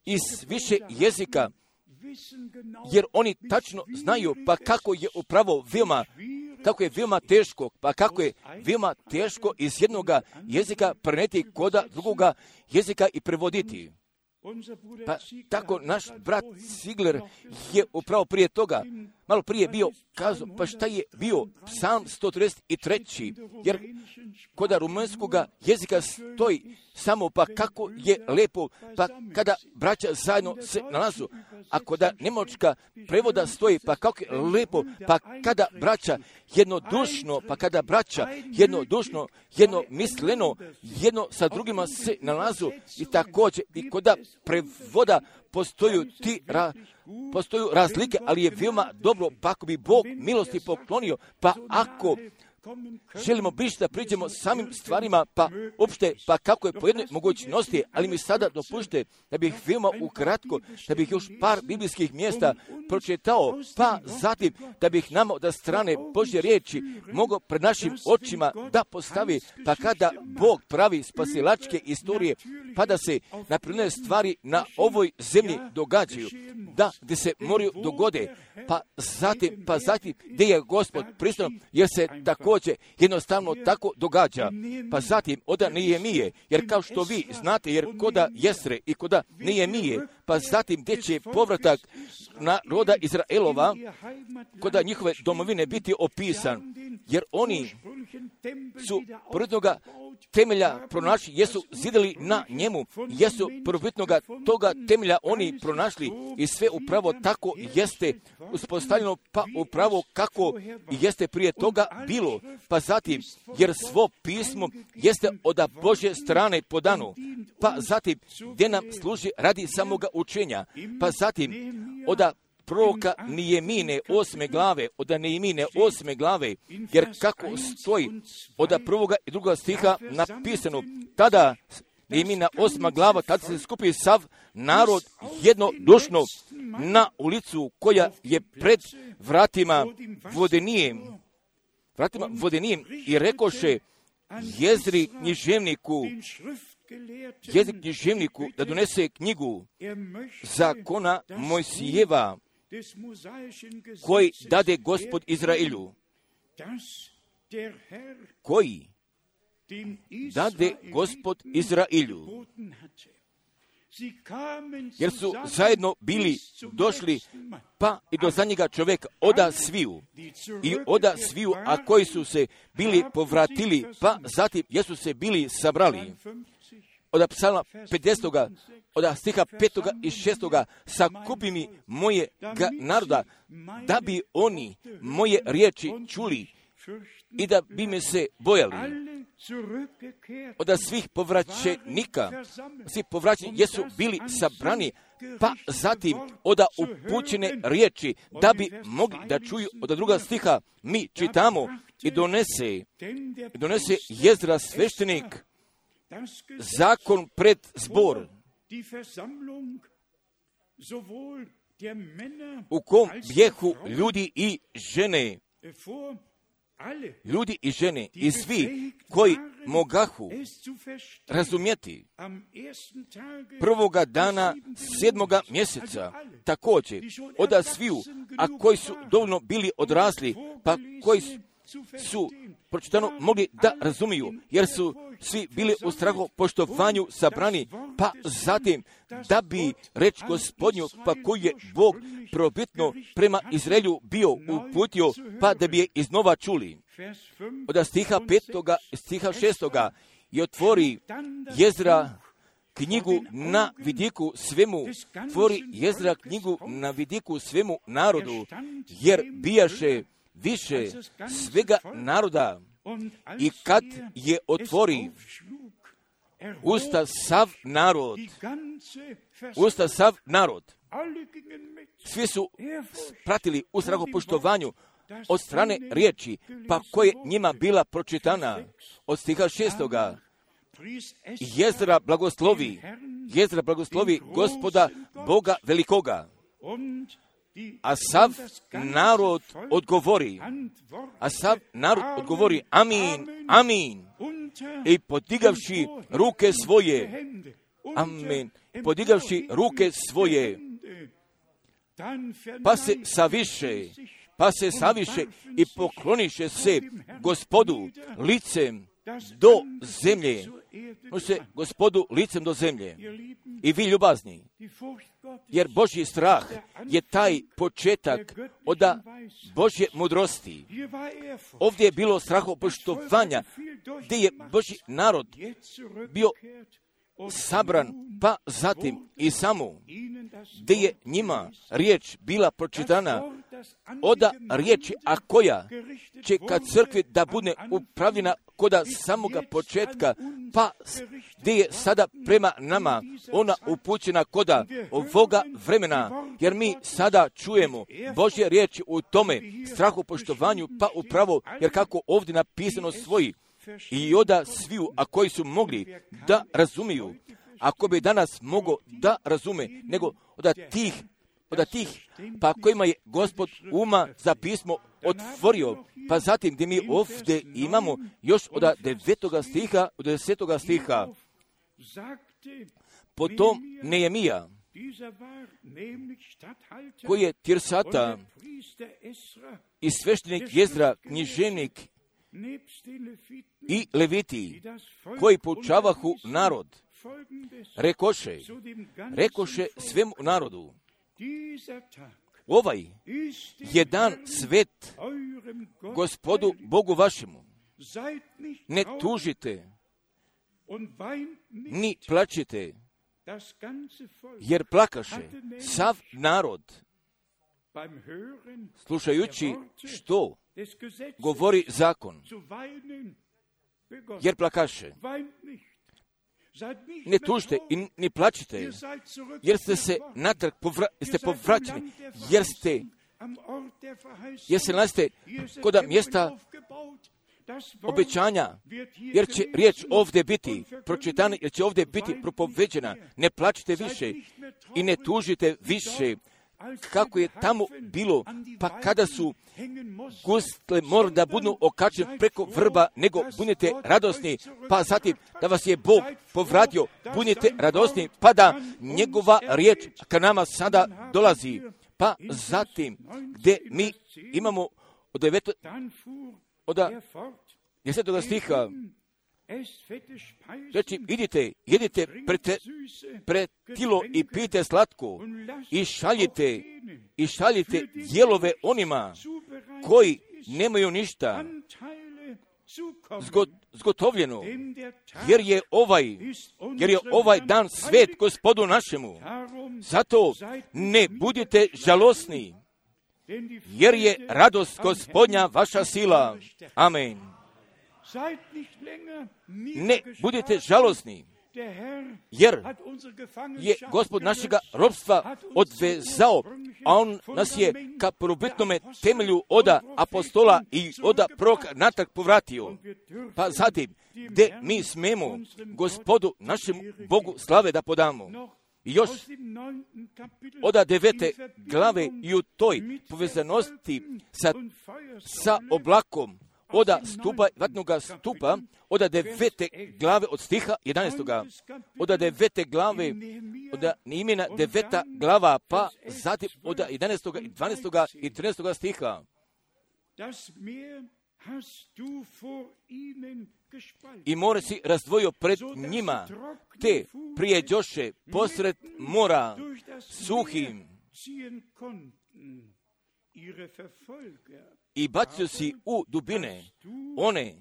iz više jezika, jer oni tačno znaju pa kako je upravo veoma, kako je veoma teško, pa kako je veoma teško iz jednoga jezika preneti koda drugoga jezika i prevoditi. Pa tako naš brat Ziegler je upravo prije toga, malo prije bio kazao, pa šta je bio Psalm sto trideset tri, jer kod rumunjskog jezika stoji samo pa kako je lepo, pa kada braća zajedno se nalazu, a kod njemačka prevoda stoji pa kako je lepo, pa kada braća jednodušno, pa kada braća jednodušno, jednomisleno, jedno sa drugima se nalazu i također i kod prevoda postoju ti ra, postoju razlike, ali je veoma dobro pa ako bi Bog milosti poklonio, pa ako želimo biti da priđemo samim stvarima, pa uopšte, pa kako je po jednoj mogućnosti, ali mi sada dopušte da bih veoma ukratko, da bih još par biblijskih mjesta pročitao, pa zatim da bih nama od strane Božje riječi mogao pred našim očima da postavi, pa kada Bog pravi spasilačke istorije, pa da se napredne stvari na ovoj zemlji događaju, da gdje se moraju dogode, pa zatim, pa zatim gdje je Gospod prisutan, jer se također jednostavno tako događa. Pa zatim oda Nehemije, jer kao što vi znate, jer koda Jesre i koda Nehemije, pa zatim gdje će povratak naroda Izraelova, koda njihove domovine biti opisan, jer oni su prvotnoga temelja pronašli, jesu zidali na njemu, jesu prvobitnoga toga temelja oni pronašli i sve upravo tako jeste uspostavljeno, pa upravo kako jeste prije toga bilo, pa zatim, jer svo pismo jeste od Božje strane podano, pa zatim, gdje nam služi radi samoga učenja, pa zatim, od proroka Nehemije osme glave, od Nehemije osme glave, jer kako stoji od prvoga i drugoga stiha napisano, tada Nehemija osma glava, tada se skupi sav narod jednodušno na ulicu koja je pred vratima Vodenijem, vratima Vodenijem i rekoše Jezri književniku, Jezri književniku da donese knjigu zakona Mojsijeva, koji dade Gospod Izraelju, koji dade Gospod Izraelju, jer su zajedno bili došli pa i do zadnjega čovjeka oda sviju i oda sviju, a koji su se bili povratili, pa zatim jesu se bili sabrali. Od psalma pedesetoga, od stiha petoga i šestoga, sakupi mi moje naroda, da bi oni moje riječi čuli i da bi me se bojali. Od svih povraćenika, svi povraćeni jesu bili sabrani, pa zatim od upućene riječi, da bi mogli da čuju. Od druga stiha mi čitamo i donese, i donese Jezra sveštenik zakon pred zbor, u kom bjehu ljudi i žene, ljudi i žene i svi koji mogahu razumjeti prvoga dana sedmoga mjeseca, također od sviju, a koji su dovoljno bili odrasli, pa koji su, su pročitano mogli da razumiju, jer su svi bili u strahu poštovanju sabrani, pa zatim da bi reč Gospodnju, pa koji je Bog probitno prema Izraelju bio uputio, pa da bi je iznova čuli. Od stiha petoga, stiha šestoga i otvori Jezra knjigu na vidiku svemu, tvori Jezra knjigu na vidiku svemu narodu, jer bijaše više svega naroda. I kad je otvori usta sav narod, usta sav narod, svi su pratili u strahopoštovanju od strane riječi, pa koje njima bila pročitana. Od stiha šestoga, Jezra blagoslovi, Jezra blagoslovi Gospoda Boga velikoga, a sav narod odgovori, a sav narod odgovori amin, amin, i podigavši ruke svoje, amin, podigavši ruke svoje, pa se saviše, pa se saviše i pokloniše se Gospodu licem do zemlje, može se Gospodu licem do zemlje. I vi ljubazni, jer Božji strah je taj početak od Božje mudrosti. Ovdje je bilo strahopoštovanja, gdje je Božji narod bio sabran, pa zatim i samo, gdje je njima riječ bila pročitana, oda riječi, a koja će kad crkvi da bude upravljena koda samoga početka, pa gdje je sada prema nama ona upućena koda ovoga vremena, jer mi sada čujemo Božje riječi u tome strahopoštovanju, pa upravo, jer kako ovdje napisano svoji, i oda sviju, a koji su mogli da razumiju, ako bi danas mogo da razume, nego od tih, od tih, pa kojima je Gospod uma za pismo otvorio, pa zatim gdje mi ovdje imamo još od devetoga stiha, od desetoga stiha, potom Nehemija, koji je Tirsata i sveštenik Jezra, književnik i leviti, koji poučavahu narod, rekoše, rekoše svemu narodu, ovaj je dan svet Gospodu Bogu vašemu. Ne tužite, ni plačite, jer plakaše sav narod, slušajući što govori zakon, jer plakaše. Ne tužite i ne plačite, jer ste se natrag povra, ste povraćeni, jer ste, jer se nalazite kod mjesta obećanja, jer će riječ ovdje biti pročitana, jer će ovdje biti propoveđena. Ne plačite više i ne tužite više, kako je tamo bilo, pa kada su gusle morali da budu okačeni preko vrba, nego budite radosni, pa zatim da vas je Bog povratio, budite radosni, pa da njegova riječ ka nama sada dolazi. Pa zatim, gdje mi imamo od devetog, od desetog stiha, znači, idite, jedite pretilo i pijte slatko i šaljite, i šaljite dijelove onima koji nemaju ništa zgot, zgotovljeno, jer je ovaj, jer je ovaj dan svet Gospodu našemu. Zato ne budite žalosni, jer je radost Gospodnja vaša sila. Amen. Ne budite žalosni, jer je Gospod našega robstva odvezao, a On nas je ka prvobitnome temelju oda apostola i oda proroka natrag povratio. Pa zatim, gdje mi smemo Gospodu našemu Bogu slave da podamo. I još oda devete glave i u toj povezanosti sa, sa oblakom, oda stupa, vatnoga stupa, oda devete glave od stiha jedanaestoga, oda devete glave, oda imena deveta glava, pa zatim oda jedanaestoga i dvanaestoga i trinaestoga stiha. I more si razdvojio pred njima, te prijeđoše posred mora suhim i bacio si u dubine one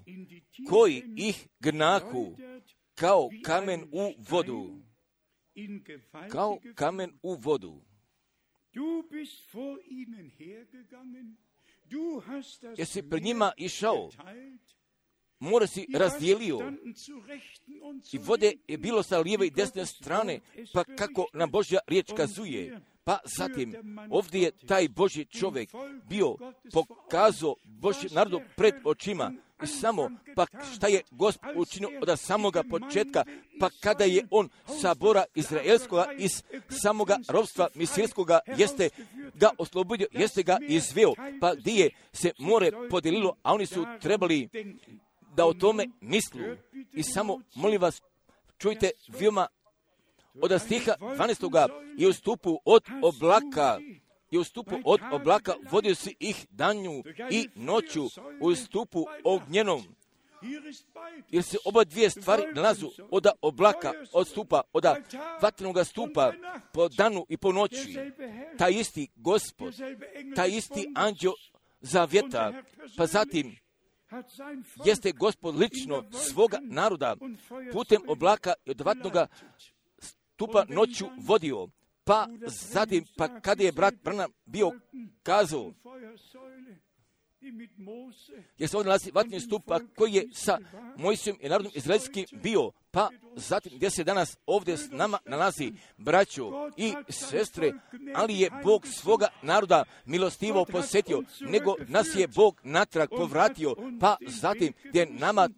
koji ih gnahu kao kamen u vodu, kao kamen u vodu. Jesi pred njima išao, more si razdijelio i vode je bilo sa lijeve i desne strane, pa kako nam Božja riječ kazuje. Pa zatim, ovdje je taj Božji čovjek bio pokazao Božji narodu pred očima. I samo, pa šta je Gospod učinio od samoga početka, pa kada je on sabora izraelskoga iz samoga robstva misirskoga, jeste ga oslobodio, jeste ga izveo, pa gdje je se more podijelilo, a oni su trebali da o tome mislu. I samo, molim vas, čujte veoma od stiha dvanaestoga i u stupu od oblaka, i u stupu od oblaka vodio si ih danju i noću u stupu ognjenom. Jer se oba dvije stvari nalazu od oblaka, od stupa, od vatrenog stupa, po danu i po noći. Taj isti Gospod, taj isti anđeo zavjeta, pa zatim jeste Gospod lično svoga naroda putem oblaka i od vatnoga stupa noću vodio. Pa zatim, pa kada je brat Branham bio kazao, jer se ovdje nalazi vatni stupa koji je sa Mojsijom i narodom izraelskim bio, pa zatim gdje se danas ovdje s nama nalazi braćo i sestre, ali je Bog svoga naroda milostivo posjetio, nego nas je Bog natrag povratio, pa zatim gdje nama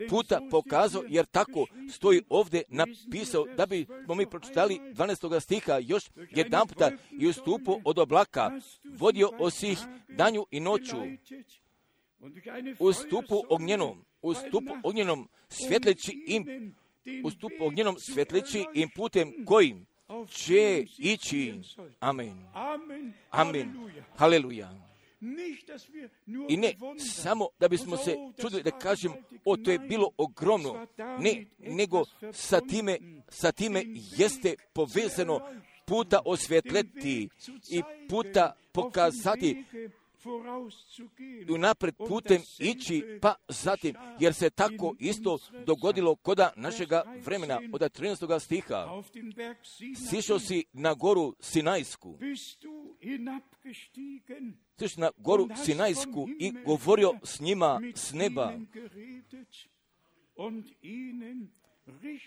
puta pokazao, jer tako stoji ovdje napisao, da bi smo mi pročitali dvanaestoga stiha još jedan puta, i u stupu od oblaka vodio osih danju i noću, u stupu ognjenom, u stupu ognjenom svjetleći im, u stupu ognjenom svjetleći im putem kojim će ići. Amen. Amen. Haleluja. I ne samo da bismo se čudili da kažem, o, to je bilo ogromno, ne, nego sa time, sa time jeste povezano puta osvjetleti i puta pokazati i unapred putem ići, pa zatim, jer se tako isto dogodilo koda našega vremena, od trinaestog stiha. Sišao si na goru Sinajsku, sišao na goru Sinajsku i govorio s njima s neba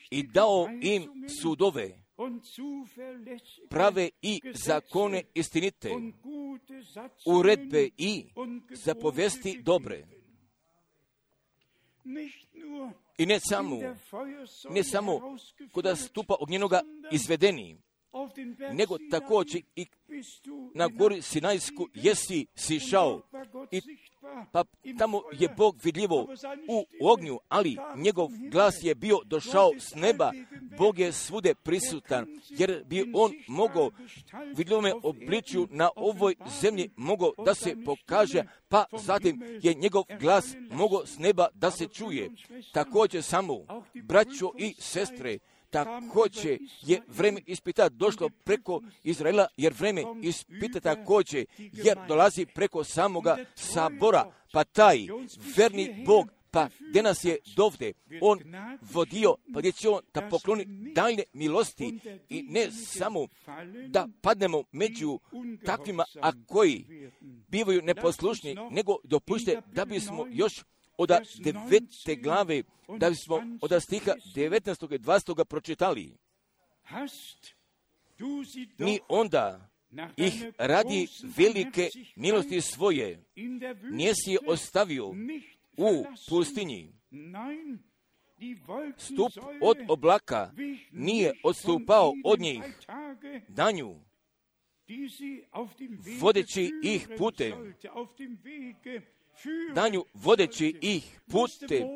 i dao im sudove, prave i zakone istinite, uredbe i zapovesti dobre. I ne samo, ne samo koda stupa ognjenoga izvedeni, nego također i na gori Sinajsku jesi sišao i pa tamo je Bog vidljivo u ognju, ali njegov glas je bio došao s neba. Bog je svude prisutan, jer bi on mogao vidljivome obličju na ovoj zemlji mogao da se pokaže, pa zatim je njegov glas mogao s neba da se čuje. Također samo, braćo i sestre, također je vreme ispita došlo preko Izraela, jer vreme ispita također, jer dolazi preko samoga sabora, pa taj verni Bog, pa gdje nas je dovde, on vodio, pa gdje će on da pokloni daljne milosti i ne samo da padnemo među takvima, a koji bivaju neposlušni, nego dopušte da bismo još od devete glave, da bismo od stiha devetnaestog i dvadesetog pročitali. Ni onda ih radi velike milosti svoje nisi je ostavio u pustinji. Stup od oblaka nije odstupao od njih danju, vodeći ih putem. Danju vodeći ih putem.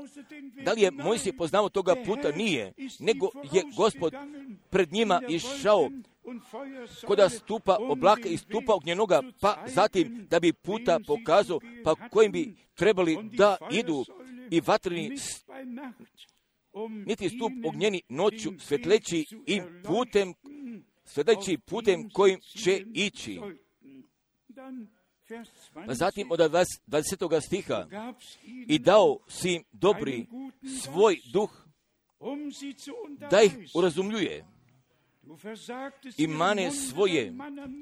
Da li je Mojsije poznao toga puta? Nije. Nego je Gospod pred njima išao koda stupa oblaka i stupa ognjenoga, pa zatim da bi puta pokazao, pa kojim bi trebali da idu i vatreni, niti stup ognjeni noću svetleći im putem, svetleći putem kojim će ići. Pa zatim od dvadesetog stiha i dao si im dobri svoj duh da ih urazumljuje i mane svoje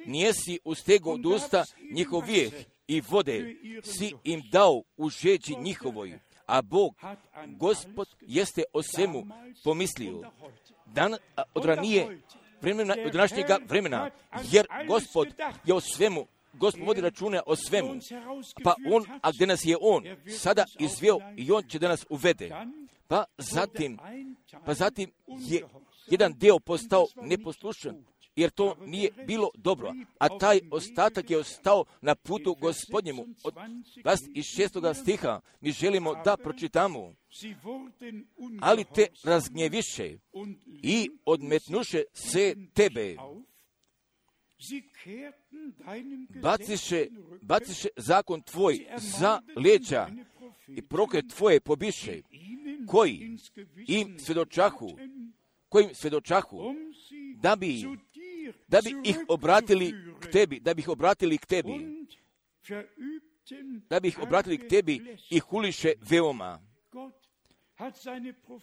nijesi ustego od usta njihov vijeh i vode si im dao u žeđi njihovoj, a Bog, Gospod, jeste o svemu pomislio. Dan od ranije vremena, od današnjega vremena, jer Gospod je o svemu, Gospod vodi račune o svemu, pa on, a gdje nas je on sada izveo i on će da nas uvede. Pa zatim, pa zatim je jedan deo postao neposlušan, jer to nije bilo dobro, a taj ostatak je ostao na putu Gospodnjemu. Od dvadeset šestog stiha mi želimo da pročitamo, ali te razgnjeviše i odmetnuše se tebe. Baciše, baciše zakon tvoj za leđa i proklet tvoje pobiše, koji im svedočahu, kojim svedočahu, da bi, da bi ih obratili k tebi, da bi ih obratili k tebi, da bi ih obratili k tebi i huliše veoma.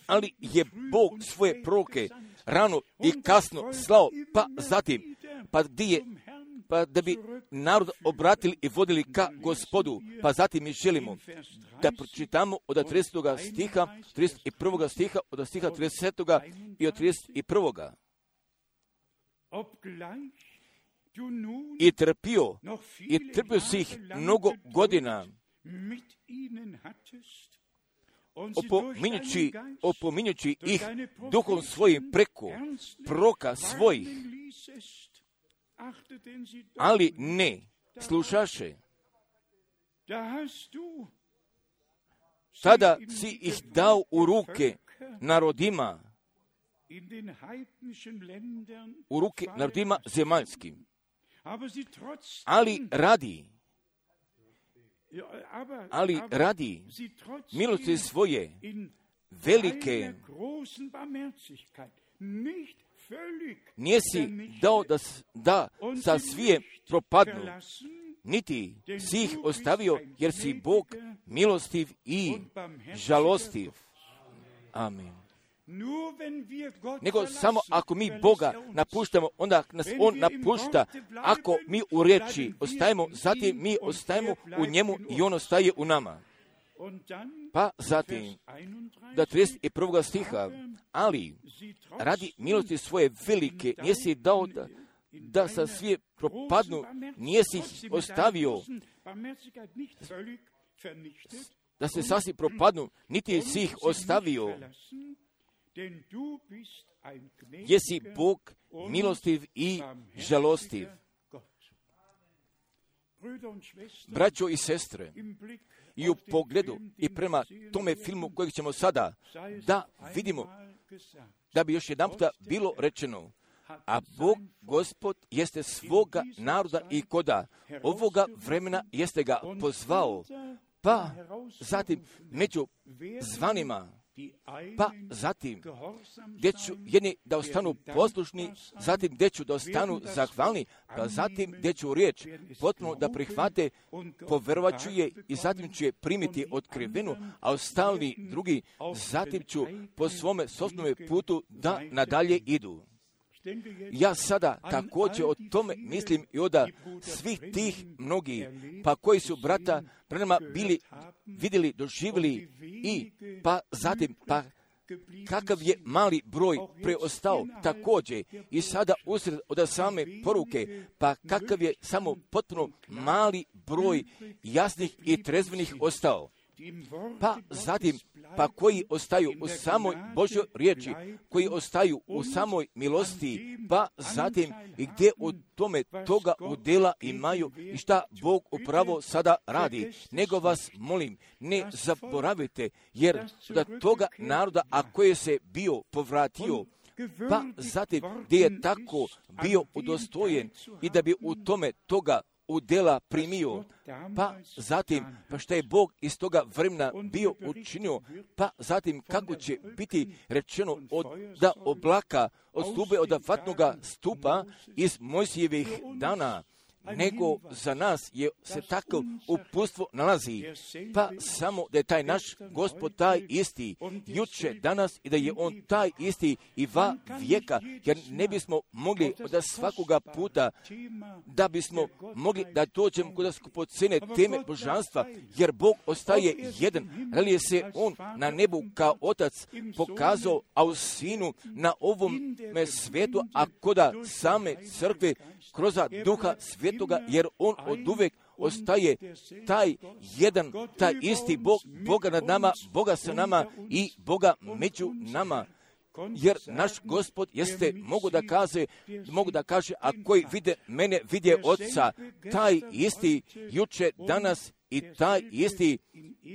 Ali je Bog svoje proroke rano i kasno slao, pa zatim, pa gdje je, pa da bi narod obratili i vodili ka Gospodu, pa zatim mi želimo da pročitamo od tridesetog stiha, trideset prvog stiha, od stiha tridesetog i od trideset prvog I trpio, i trpio si ih mnogo godina, opominjući, opominjući ih duhom svojim preko proka svojih, ali ne slušaše. Tada si ih dao u ruke narodima, u ruke narodima zemaljskim, ali radi, ali radi milosti svoje velike nijesi dao da, da sa svije propadnu, niti si ih ostavio, jer si Bog milostiv i žalostiv. Amen. Nego samo ako mi Boga napuštamo, onda nas On napušta. Ako mi u riječi ostajemo, zatim mi ostajemo u njemu i On ostaje u nama. Pa zatim, do trideset prvog stiha, ali radi milosti svoje velike, nisi dao da, da sa svi propadnu, nisi ih ostavio, da se sasvim propadnu, niti si ih ostavio, jesi Bog milostiv i žalostiv. Braćo i sestre, i u pogledu i prema tome filmu kojeg ćemo sada da vidimo, da bi još jedan puta bilo rečeno, a Bog, Gospod, jeste svoga naroda i koda ovoga vremena jeste ga pozvao, pa zatim među zvanima, pa zatim gdje ću jedni da ostanu poslušni, zatim gdje ću da ostanu zahvalni, pa zatim gdje ću riječ potpuno da prihvate, poverovat ću je i zatim ću je primiti otkrivenu, a ostali drugi zatim ću po svome sopstvenome putu da nadalje idu. Ja sada također o tome mislim i od svih tih mnogih, pa koji su brata pre nama bili, vidjeli, doživjeli i pa zatim, pa kakav je mali broj preostao također i sada usred od same poruke, pa kakav je samo potpuno mali broj jasnih i trezvenih ostao. Pa zatim, pa koji ostaju u samoj Božjoj riječi, koji ostaju u samoj milosti, pa zatim i gdje u tome toga udjela imaju i šta Bog upravo sada radi. Nego vas molim, ne zaboravite, jer da toga naroda, a koje se bio povratio, pa zatim gdje je tako bio udostojen i da bi u tome toga udjela primio, pa zatim, pa što je Bog iz toga vremena bio učinio, pa zatim kako će biti rečeno od da oblaka, od stube, od vatnoga stupa iz Mojsijevih dana, nego za nas je se tako uputstvo nalazi, pa samo da je taj naš Gospod taj isti, juče, danas i da je On taj isti i va vijeka, jer ne bismo mogli od svakoga puta da bismo mogli da dođemo kod skupocene teme božanstva, jer Bog ostaje jedan, ali je se On na nebu kao Otac pokazao, a u Sinu na ovom svijetu, a koda same crkve kroz Duha Svetoga, jer On od uvek ostaje taj jedan, taj isti Bog, Boga nad nama, Boga sa nama i Boga među nama. Jer naš Gospod jeste, mogu da kaže, mogu da kaže, a koji vide mene, vide Otca, taj isti juče, danas i taj isti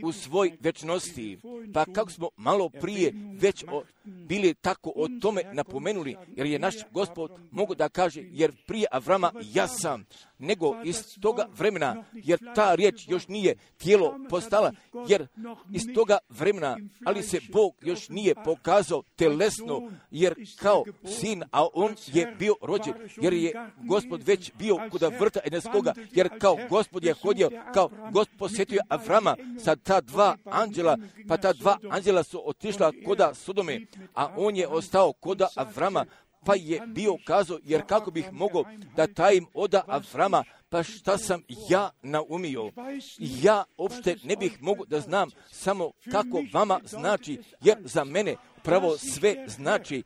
u svoj večnosti. Pa kako smo malo prije već o, bili tako o tome napomenuli, jer je naš Gospod, mogu da kaže, jer prije Avrama ja sam, nego iz toga vremena, jer ta riječ još nije tijelo postala, jer iz toga vremena, ali se Bog još nije pokazao telesno, jer kao sin, a On je bio rođen, jer je Gospod već bio kuda vrta Edenskoga, jer kao Gospod je hodio, kao Gospod posjetio Avrama sa ta dva anđela, pa ta dva anđela su otišla koda Sodome, a on je ostao koda Avrama, pa je bio kazao, jer kako bih mogao da tajim oda Avrama, pa šta sam ja naumio. Ja uopšte ne bih mogao da znam samo kako vama znači, jer za mene pravo sve znači.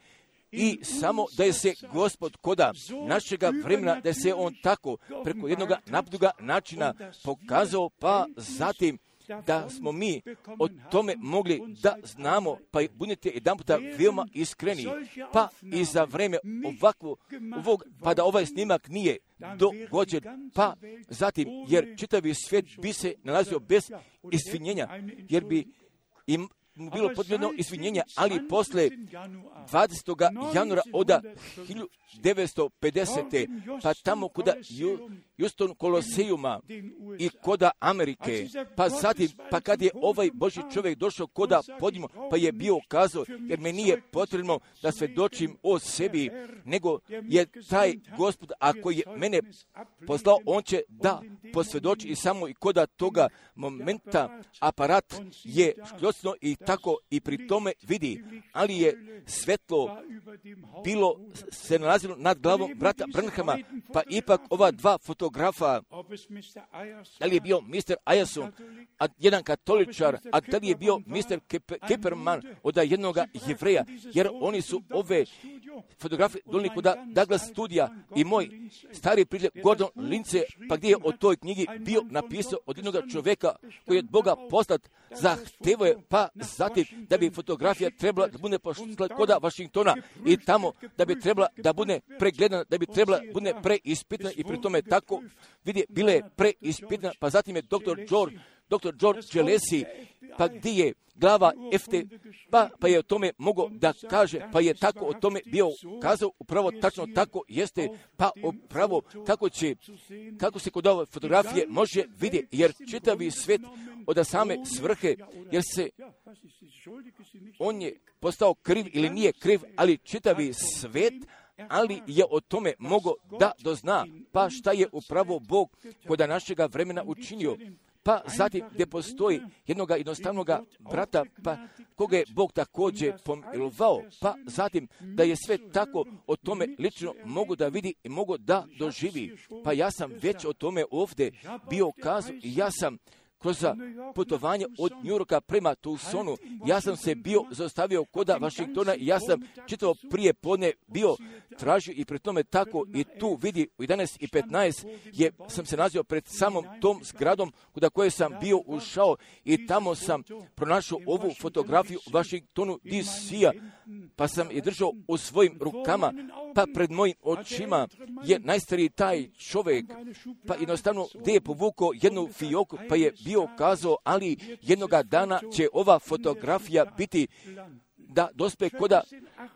I samo da je se Gospod koda našega vremena, da je se On tako preko jednog napduga načina pokazao, pa zatim da smo mi o tome mogli da znamo, pa budite jedan puta veoma iskreni, pa i za vreme ovakvo, ovog, pa da ovaj snimak nije dogođen, pa zatim, jer čitavi svijet bi se nalazio bez izvinjenja, jer bi im bilo potrebno izvinjenja, ali posle dvadesetog januara od hiljadu devetsto pedesete. pa tamo koda Houston Kolosejuma i koda Amerike, pa zatim, pa kad je ovaj Božji čovjek došao koda podimo, pa je bio kazao, jer me nije potrebno da svedočim o sebi, nego je taj Gospod, ako je mene poslao, On će da posvjedoči i samo i koda toga momenta aparat je škljocno i tako i pri tome vidi, ali je svetlo bilo se nalazilo nad glavom brata Branhama, pa ipak ova dva fotografa, da li je bio mister Ajason, a jedan katoličar, a da li je bio mister Keperman od jednog Jevreja, jer oni su ove fotografije donijeli kod Douglas studija i moj stari prijatelj Gordon Lindsay, pa gdje je o toj knjigi bio napisao od jednog čovjeka koji je od Boga poslat, zahtevao je, pa zatim da bi fotografija trebala da bude pošla kod Washingtona i tamo da bi trebala da bude pregledana, da bi trebala da bude preispitana i pri tome tako vidi, bile je preispitana, pa zatim je doktor George doktor George Gillespie, pa gdje je glava F T, pa, pa je o tome mogao da kaže, pa je tako o tome bio kazao, upravo tačno tako jeste, pa upravo kako će, kako se kod ove fotografije može vidjeti, jer čitavi svet od same svrhe, jer se, on je postao kriv ili nije kriv, ali čitavi svet, ali je o tome mogao da dozna, pa šta je upravo Bog kod našega vremena učinio. Pa zatim gdje postoji jednoga jednostavnog brata, pa koga je Bog također pomilovao, pa zatim da je sve tako o tome lično mogu da vidi i mogu da doživi. Pa ja sam već o tome ovdje bio kazao i ja sam kroz putovanje od New Yorka prema Tucsonu, ja sam se bio zaustavio koda Washingtona i ja sam čitavo prije podne bio tražio i pri tome tako i tu vidi u jedanaest i petnaest je, sam se nazio pred samom tom zgradom kuda koje sam bio ušao i tamo sam pronašao ovu fotografiju u Washingtonu D C-a, pa sam je držao u svojim rukama, pa pred mojim očima je najstariji taj čovjek, pa jednostavno gdje je povukao jednu fijoku, pa je bio kazao, ali jednoga dana će ova fotografija biti da dospe koda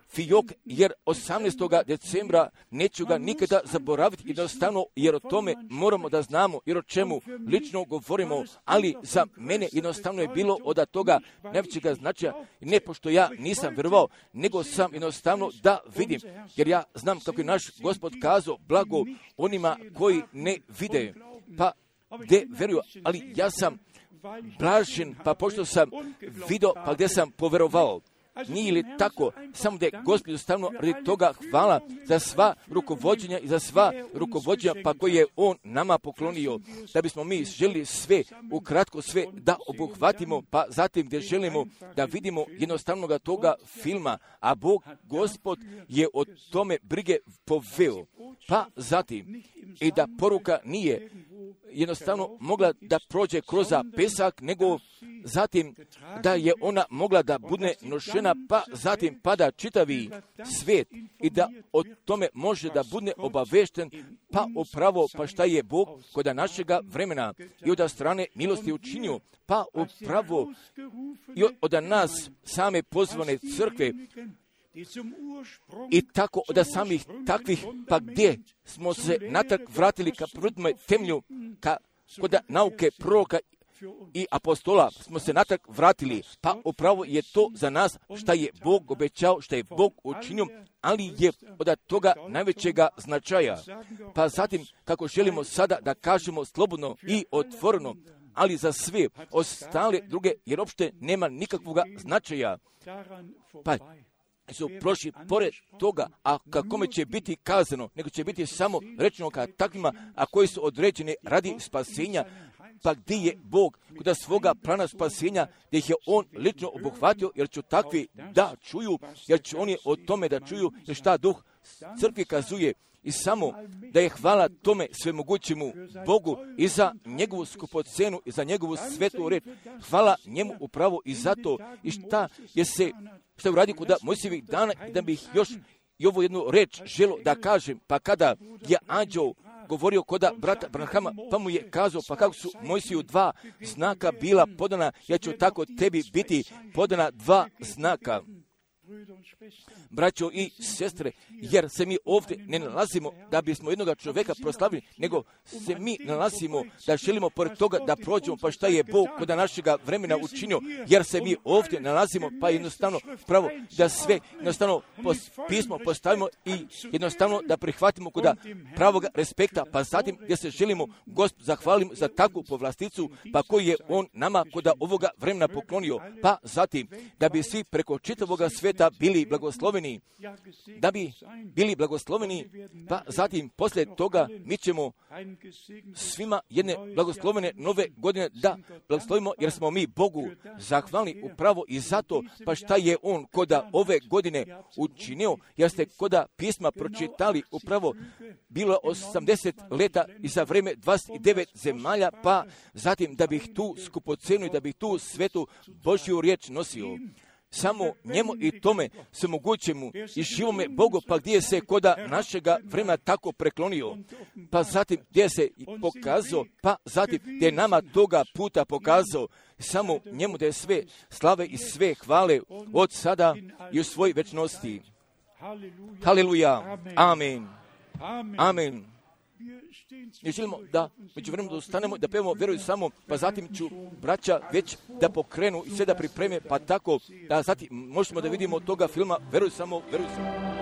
fijok, jer osamnaestog decembra neću ga nikada zaboraviti, jednostavno jer o tome moramo da znamo, jer o čemu lično govorimo, ali za mene jednostavno je bilo od toga najvećega značaja, ne pošto ja nisam vjerovao, nego sam jednostavno da vidim, jer ja znam kako je naš Gospod kazao, blago onima koji ne vide, pa gdje veruju, ali ja sam blažen, pa pošto sam vidio, pa gdje sam poverovao. Nije li tako, samo da je Gospod jednostavno radi toga hvala za sva rukovođenja i za sva rukovođenja pa koje je On nama poklonio, da bismo mi želi sve, ukratko sve da obuhvatimo, pa zatim gdje želimo da vidimo jednostavnoga toga filma, a Bog, Gospod je o tome brige poveo. Pa zatim i da poruka nije jednostavno mogla da prođe kroz pesak, nego zatim da je ona mogla da bude nošena, pa zatim pada čitavi svijet i da o tome može da bude obavešten, pa upravo pa šta je Bog kod našega vremena i od strane milosti učinio, pa upravo i od nas same pozvane crkve, i tako od samih takvih, pa gdje smo se natrag vratili ka prvotnome temelju, ka kod nauke proroka i apostola smo se natrag vratili, pa upravo je to za nas šta je Bog obećao, šta je Bog učinio, ali je od toga najvećega značaja. Pa zatim, kako želimo sada da kažemo slobodno i otvoreno, ali za sve ostale druge, jer uopšte nema nikakvog značaja. Pa su prošli pored toga, a kakome će biti kazano, nego će biti samo rečeno ka takvima, a koji su određeni radi spasenja, pa gdje je Bog kod svoga plana spasenja, gdje ih je On lično obuhvatio, jer će takvi da čuju, jer će oni o tome da čuju, jer šta duh crkvi kazuje, i samo da je hvala tome svemogućemu Bogu i za njegovu skupocenu i za njegovu svetu reč. Hvala njemu upravo i zato i šta je se, šta je uradio kod Mojsijevih dana, i da bih još i ovu jednu reč želo da kažem, pa kada je anđeo govorio kod brata Branhama, pa mu je kazao, pa kako su Mojsiju dva znaka bila podana, ja ću tako tebi biti podana dva znaka. Braćo i sestre, jer se mi ovdje ne nalazimo da bismo jednoga čovjeka proslavili, nego se mi nalazimo da želimo pored toga da prođemo pa šta je Bog kod našega vremena učinio, jer se mi ovdje nalazimo pa jednostavno pravo da sve jednostavno pismo postavimo i jednostavno da prihvatimo kod pravog respekta, pa zatim gdje se želimo Gospod zahvalimo za takvu povlasticu, pa koji je On nama kod ovoga vremena poklonio, pa zatim da bi svi preko čitavoga svijeta bili blagosloveni, da bi bili blagosloveni, pa zatim poslije toga mi ćemo svima jedne blagoslovene nove godine da blagoslovimo, jer smo mi Bogu zahvalni upravo i zato, pa šta je On koda ove godine učinio, jer ste koda pisma pročitali upravo bilo osamdeset leta i za vreme dvadeset devet zemalja, pa zatim da bih tu skupocenu i da bih tu svetu Božju riječ nosio. Samo njemu i tome se mogućemu i živome Bogu, pa gdje se koda našega vremena tako preklonio, pa zatim gdje se pokazao, pa zatim gdje nama toga puta pokazao, samo njemu da je sve slave i sve hvale od sada i u svoj večnosti. Haleluja, amen, amen. Mi želimo da među vremenu dostanemo, da pevamo Veruj samo, pa zatim ću braća već da pokrenu i sve da pripreme, pa tako da zatim možemo da vidimo od toga filma Veruj samo, Veruj samo.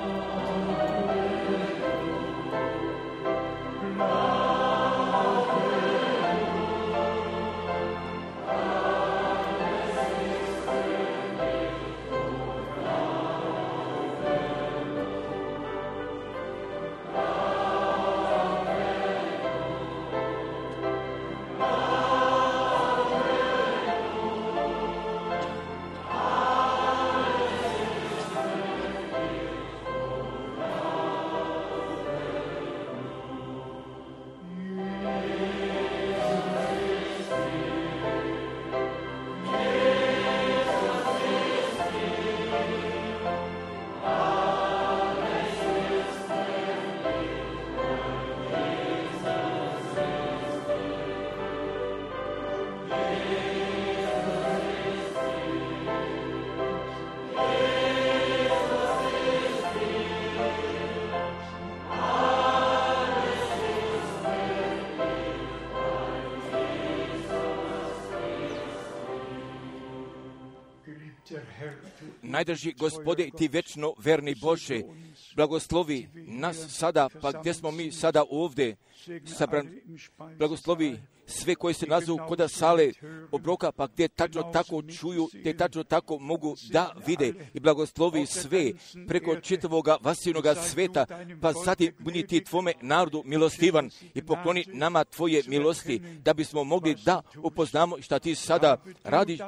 Najdrži Gospode i ti večno verni Bože, blagoslovi nas sada, pa gdje smo mi sada ovdje sabrani, blagoslovi sve koji se nazovu koda sale obroka, pa gdje tačno tako čuju, gdje tačno tako mogu da vide i blagoslovi sve preko čitavoga vasivnoga sveta, pa zatim budi ti tvome narodu milostivan i pokloni nama tvoje milosti, da bismo mogli da upoznamo šta ti sada radiš,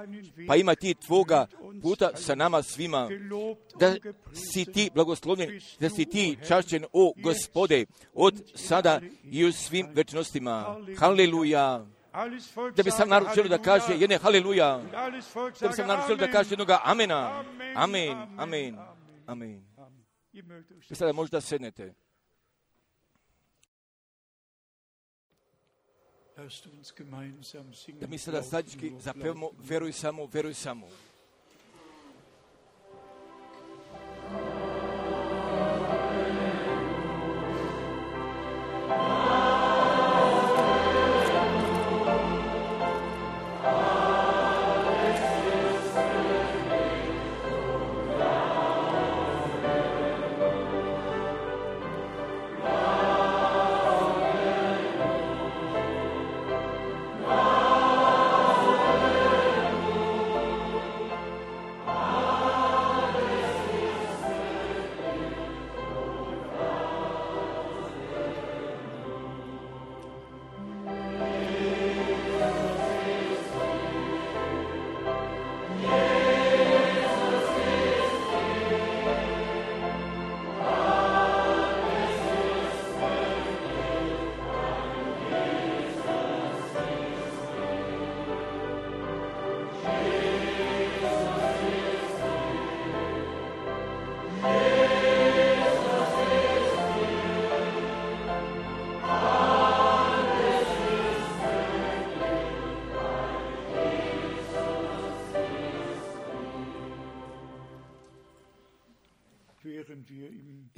pa ima ti tvoga puta sa nama svima, da si ti blagoslovljen, da si ti čašćen, o Gospode, od sada i u svim večnostima. Haleluja. Da bi sam narod želio da kaže jedne haleluja, da bi sam narod želio da kaže jednoga amena, amen, amen, amen. I sada možda sednete. Da mi sada zajednički zapevamo Veruj samo, veruj samo.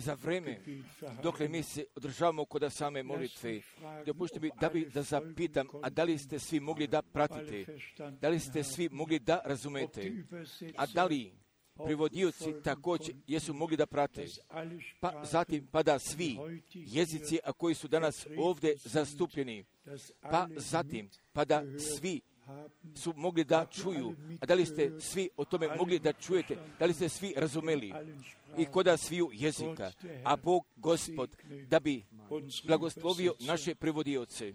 za vreme dokle mi se održavamo kod same molitve. Dopustite mi da bi da zapitam, a da li ste svi mogli da pratite? Da li ste svi mogli da razumete? A da li privodioci također jesu mogli da prate? Pa zatim, pa da svi jezici, a koji su danas ovdje zastupljeni, pa zatim, pa da svi su mogli da čuju, a da li ste svi o tome mogli da čujete, da li ste svi razumeli i koda sviju jezika, a Bog Gospod da bi blagoslovio naše prevodioce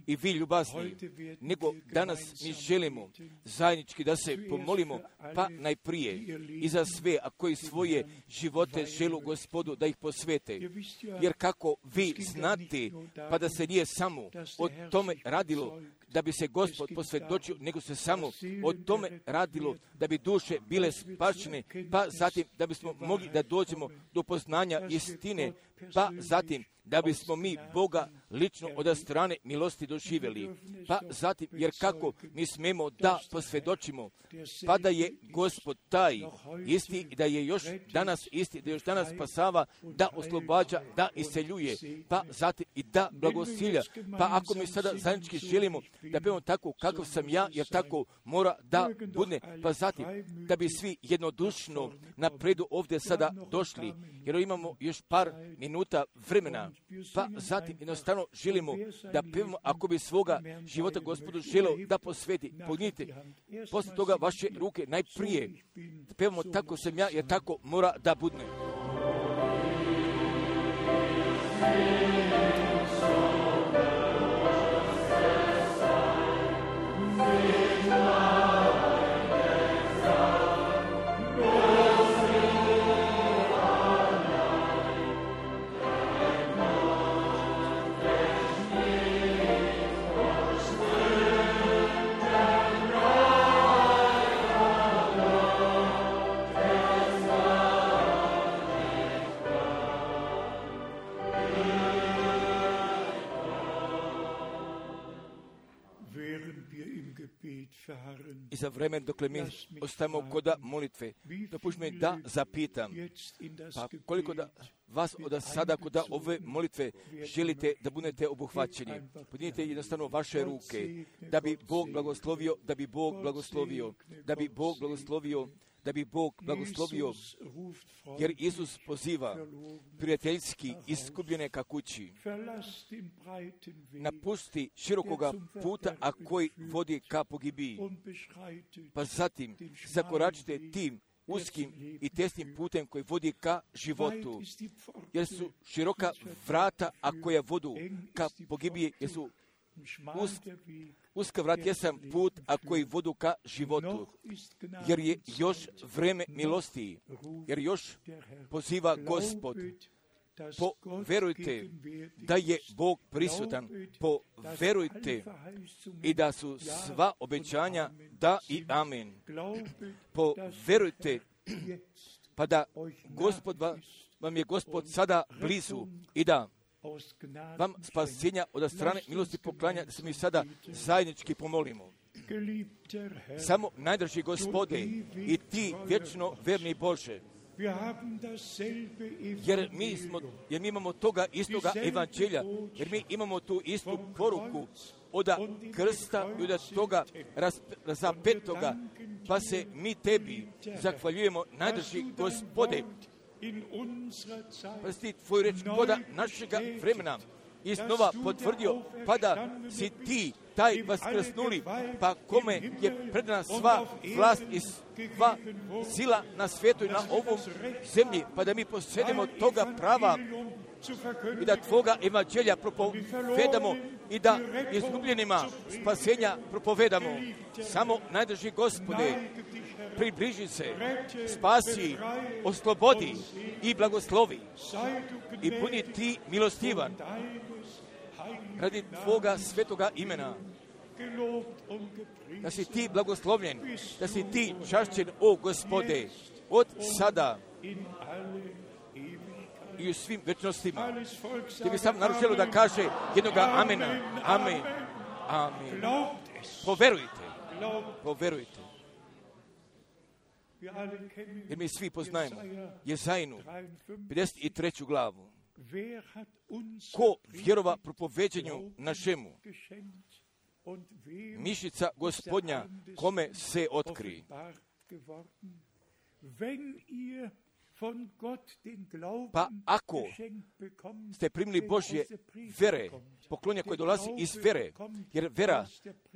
i vi ljubazni, nego danas mi želimo zajednički da se pomolimo, pa najprije i za sve, a koji svoje živote želu Gospodu da ih posvete, jer kako vi znate, pa da se nije samo o tome radilo da bi se Gospod posvjedočio, nego se samo o tome radilo da bi duše bile spašene, pa zatim da bismo mogli da dođemo do poznanja istine, pa zatim da bismo mi Boga lično od strane milosti doživjeli. Pa zatim, jer kako mi smemo da posvjedočimo, pa da je Gospod taj isti i da je još danas isti, da još danas spasava, da oslobađa, da isceljuje, pa zatim i da blagosilja. Pa ako mi sada zajednički želimo da budemo tako kakav sam ja, jer tako mora da bude, pa zatim da bi svi jednodušno napredu ovdje sada došli, jer imamo još par minuta vremena, pa zatim jednostavno želimo da pevamo, ako bi svoga života Gospodu želeo da posveti, pognite posle toga vaše ruke najprije, pevamo tako sam ja, jer tako mora da bude. I za vremen dokle mi ostajemo kod molitve, dopušti mi da zapitam, pa koliko da vas od sada kod ove molitve želite da budete obuhvaćeni. Podignite jednostavno vaše ruke, da bi Bog blagoslovio, da bi Bog blagoslovio, da bi Bog blagoslovio, da bi Bog blagoslovio, jer Isus poziva prijateljski iskupljene ka kući. Napusti širokoga puta, a koji vodi ka pogibiji. Pa zatim zakoračite tim uskim i tesnim putem koji vodi ka životu, jer su široka vrata, a koja vodu ka pogibiji, jer su us, uska vrat jesam put, a koji vodu ka životu, jer je još vreme milosti, jer još poziva Gospod. Poverujte da je Bog prisutan, poverujte i da su sva obećanja da i amen. Poverujte pa da Gospod va, vam je Gospod sada blizu i da vam spasenja od strane milosti poklanja, da se mi sada zajednički pomolimo. Samo najdraži Gospode i ti vječno verni Bože, jer mi, smo, jer mi imamo toga istoga evanđelja, jer mi imamo tu istu poruku od krsta i od toga razapetoga, pa se mi tebi zahvaljujemo, najdraži Gospode, pa si tvoj reč koda našega vremena iznova potvrdio, pa da si ti taj vaskrsnuli, pa kome je predana sva vlast i sva sila na svijetu i na ovom zemlji, pa da mi posjedimo toga prava i da tvoga evanđelja propovedamo i da izgubljenima spasenja propovedamo. Samo najdraži Gospode, približi se, spasi, oslobodi i blagoslovi i budi ti milostivan radi tvoga svetoga imena. Da si ti blagoslovljen, da si ti čašćen, o Gospode, od sada i u svim večnostima. Ti bi sam naručilo da kaže jednoga amena. Amen. Amen. Poverujte. Poverujte. Jer mi svi poznajemo Jezajnu, pedeset treću glavu. Ko vjerova propoveđenju našemu, mišica Gospodnja, kome se otkri. Pa ako ste primili Božje vere, poklonja koje dolazi iz vere, jer vera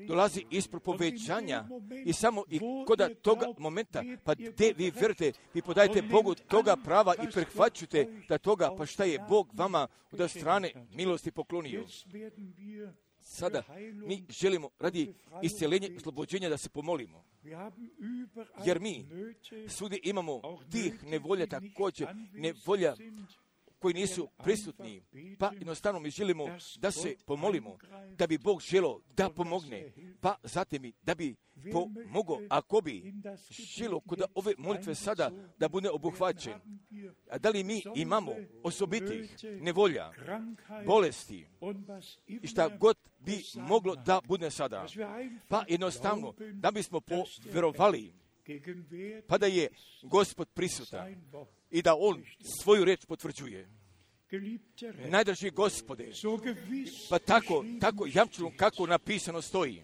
dolazi iz propoveđanja i samo i kod toga momenta, pa gdje vi vjerujete, vi podajete Bogu toga prava i prihvaćujete da toga, pa šta je Bog vama od strane milosti poklonio. Sada mi želimo radi iscjeljenja i oslobođenja da se pomolimo. Jer mi svugdje imamo tih nevolja također, nevolja koji nisu prisutni. Pa jednostavno mi želimo da se pomolimo, da bi Bog želio da pomogne, pa zatim i da bi pomogao, ako bi želio kod ove molitve sada da bude obuhvaćen. A da li mi imamo osobitih nevolja, bolesti i šta god bi moglo da bude sada. Pa jednostavno da bismo povjerovali, pa da je Gospod prisutan i da On svoju riječ potvrđuje. Najdraži Gospode, pa tako, tako jamčeno kako napisano stoji.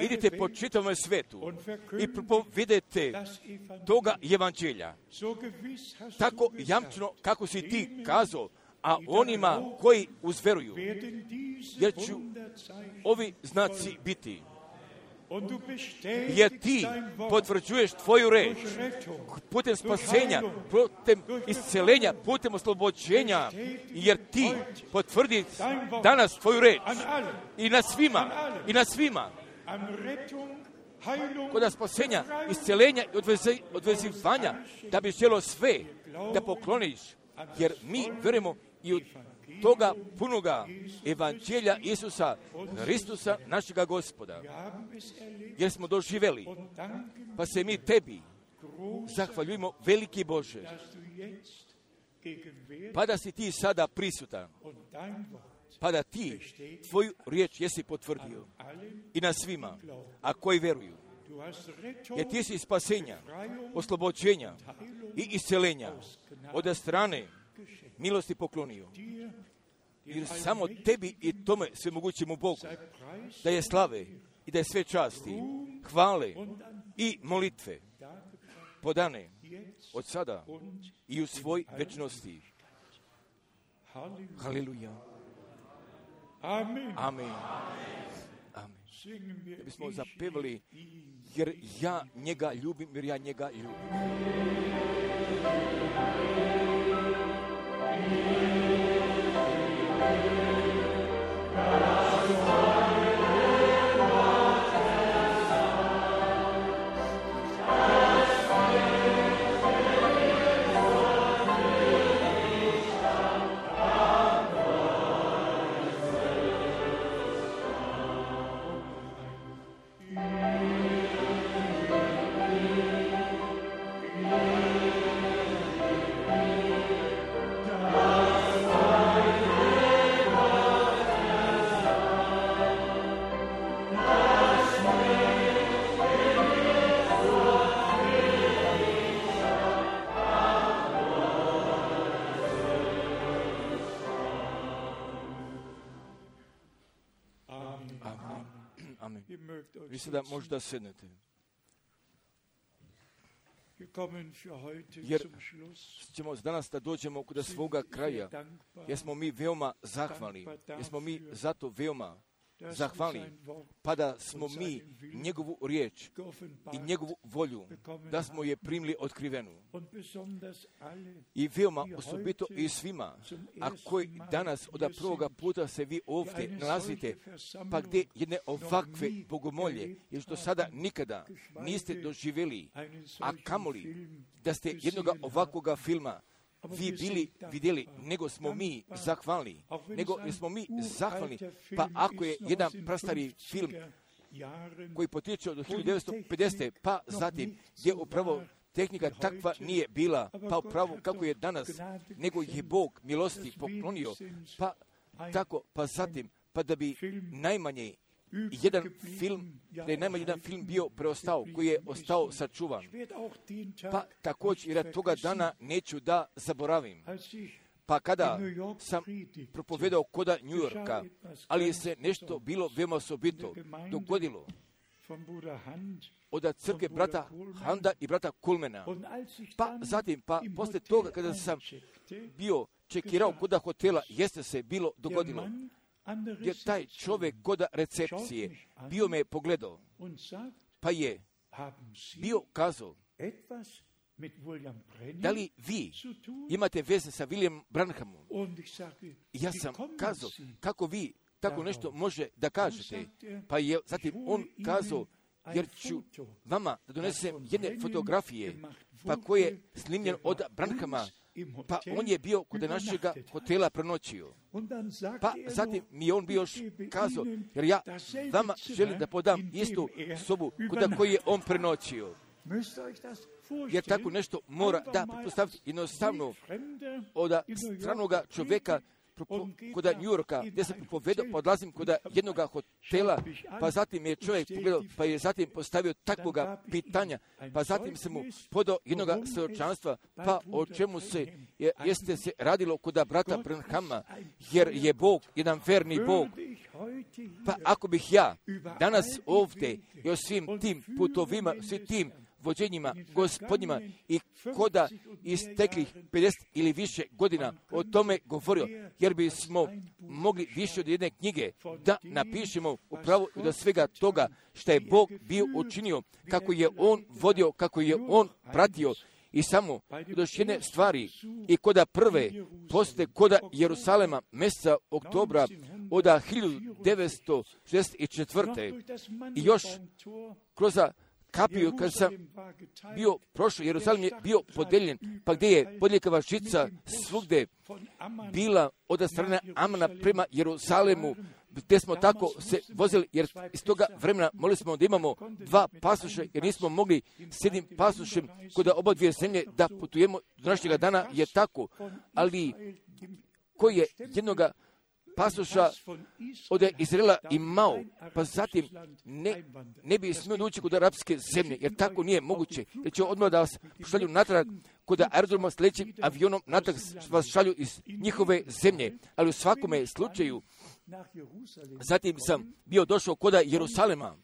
Idite po čitavom svetu i propovedete toga evanđelja. Tako jamčeno kako si ti kazao, a onima koji uzveruju, jer će ovi znaci biti. Jer ti potvrđuješ tvoju reč putem spasenja, putem isceljenja, putem oslobođenja, jer ti potvrdi danas tvoju reč i na svima, i na svima. Kod spasenja, isceljenja i odvezi, odvezivanja, da bi želo sve da pokloniš, jer mi vjerujemo i od toga punoga evanđelja Isusa Hristusa, našega Gospoda. Jer smo doživjeli, pa se mi tebi zahvaljujemo, veliki Bože, pa da si ti sada prisutan, pa da ti tvoju riječ jesi potvrdio i na svima, a koji vjeruju. Jer ti si spasenja, oslobođenja i isceljenja od strane milosti poklonio. Jer samo tebi i tome svemogućemu Bogu da je slave i da je sve časti, hvale i molitve podane od sada i u svoj večnosti. Haleluja. Amen. Amen. Da bismo zapevali, jer ja njega ljubim, jer ja njega ljubim. Vi sada možda sednete. Jer ćemo danas da dođemo kod svoga kraja, jer smo mi veoma zahvalni, jer smo mi zato veoma zahvalni, pa da smo mi njegovu riječ i njegovu volju, da smo je primili otkrivenu. I veoma osobito i svima, a koji danas od prvoga puta se vi ovdje nalazite, pa gdje jedne ovakve bogomolje, jer što sada nikada niste doživjeli, a kamoli da ste jednoga ovakvoga filma vi bili vidjeli, nego smo mi zahvalni, nego smo mi zahvalni, pa ako je jedan prastari film koji potječe od hiljadu devetsto pedesete. pa zatim gdje upravo tehnika takva nije bila, pa upravo kako je danas, nego je Bog milosti poklonio, pa tako, pa zatim, pa da bi najmanje jedan film, da je najmanje jedan film bio preostao, koji je ostao sačuvan. Pa također, jer toga dana neću da zaboravim. Pa kada sam propovedao koda New Yorka, ali je se nešto bilo veoma osobito dogodilo od crkve brata Handa i brata Kulmena. Pa zatim, pa posle toga kada sam bio čekirao koda hotela, jeste se bilo dogodilo, jer taj čovjek koda recepcije bio me pogledao, pa je bio kazao, da li vi imate veze sa William Branhamom? Ja sam kazao, kako vi tako nešto može da kažete? Pa je zatim on kazao, jer ću vama da donesem jedne fotografije, pa koje je snimljen od Branhama, pa on je bio kod našega hotela prenoćio. Pa zatim mi je on bio još kazao, jer ja vama želim da podam istu sobu kod koju je on prenoćio. Jer tako nešto mora da pretpostaviti jednostavno od stranoga čovjeka kod New Yorka, gdje sam propovedao, pa odlazim kod jednog hotela, pa zatim je čovjek pogledao, pa je zatim postavio takvoga pitanja, pa zatim se mu podao jednog svjedočanstva, pa o čemu se je, jeste se radilo kod brata Branhama, jer je Bog jedan verni Bog. Pa ako bih ja danas ovdje i o svim tim putovima, svim tim vođenjima gospodnjima i koda isteklih pedeset ili više godina o tome govorio, jer bismo mogli više od jedne knjige da napišemo upravo do svega toga što je Bog bio učinio, kako je On vodio, kako je On pratio. I samo još jedne stvari, i koda prve poste koda Jerusalema mjeseca oktobra od hiljadu devetsto šezdeset četvrte i još kroz kapiju kad sam bio prošao, Jerusalim je bio podeljen, pa gdje je podljekava žica svugde bila od strane Amana prema Jerusalemu, gdje smo tako se vozili, jer iz toga vremena molili smo da imamo dva pasoša, jer nismo mogli s jednim pasošem kod oba dvije zemlje da putujemo. Do današnjega dana je tako, ali koji je jednoga pasoša od Izraela imao, pa zatim ne, ne bi smio doći kod arapske zemlje, jer tako nije moguće, jer će odmah da vas šalju natrag kod aerodroma s lećim avionom, natrag vas šalju iz njihove zemlje, ali u svakome slučaju, zatim sam bio došao kod Jerusalema,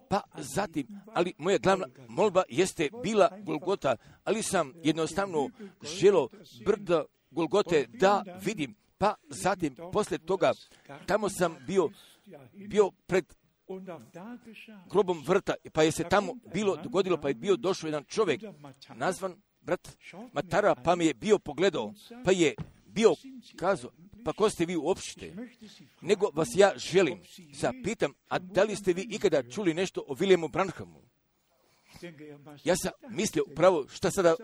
pa zatim, ali moja glavna molba jeste bila Golgota, ali sam jednostavno želio brdo Golgote da vidim. Pa zatim, posle toga, tamo sam bio, bio pred grobom vrta, pa je se tamo bilo dogodilo, pa je bio došao jedan čovjek, nazvan brat Matara, pa mi je bio pogledao, pa je bio kazao, pa ko ste vi uopšte? Nego vas ja želim, zapitam, a da li ste vi ikada čuli nešto o Williamu Branhamu? Ja sam mislio upravo šta sada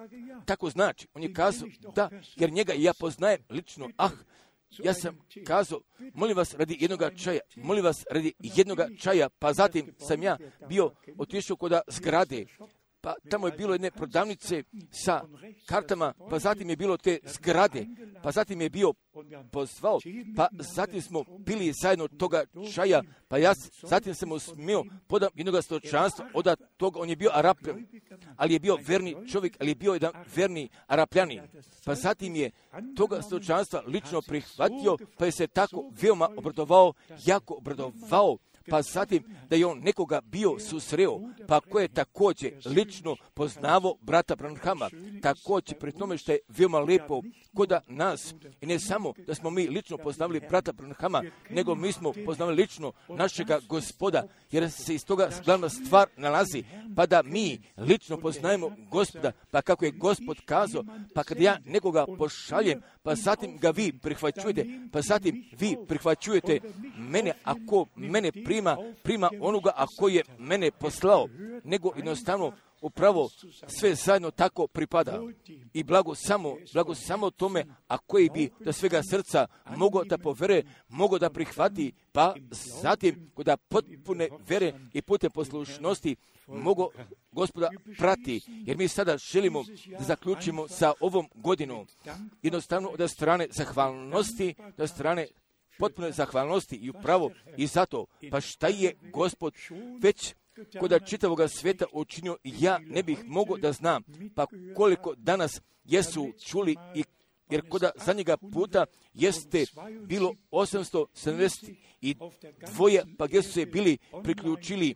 tako znači. On je kazao da, jer njega ja poznajem lično. Ah, ja sam kazao, molim vas radi jednoga čaja, molim vas radi jednoga čaja, pa zatim sam ja bio otišao kod zgrade, pa tamo je bilo jedne prodavnice sa kartama, pa zatim je bilo te zgrade, pa zatim je bio pozvao, pa zatim smo pili zajedno toga čaja, pa ja zatim sam mu smio podam jednog stočanstva, od toga on je bio Arapljan, ali je bio verni čovjek, ali je bio jedan verni Arapljanin, pa zatim je toga stočanstva lično prihvatio, pa je se tako veoma obradovao, jako obradovao, pa zatim da je on nekoga bio susreo, pa ko je također lično poznavao brata Branhama, također pri tome što je veoma lijepo kod nas, i ne samo da smo mi lično poznavali brata Branhama, nego mi smo poznavali lično našega Gospoda, jer se iz toga glavna stvar nalazi, pa da mi lično poznajemo Gospoda, pa kako je Gospod kazao, pa kad ja nekoga pošaljem, pa zatim ga vi prihvaćujete, pa zatim vi prihvaćujete mene, ako mene prima, prima onoga ako je mene poslao, nego jednostavno upravo sve zajedno tako pripada. I blago samo, blago samo tome, a koji bi do svega srca mogao da povere, mogao da prihvati, pa zatim kod potpune vere i pute poslušnosti mogu Gospoda prati, jer mi sada želimo da zaključimo sa ovom godinom. Jednostavno od strane zahvalnosti, od strane potpune zahvalnosti i upravo i zato, pa šta je Gospod već koda čitavoga svijeta učinio, ja ne bih mogao da znam, pa koliko danas jesu čuli i jer koda zadnjega puta jeste bilo osamsto sedamdeset dva, pa gdje su se bili priključili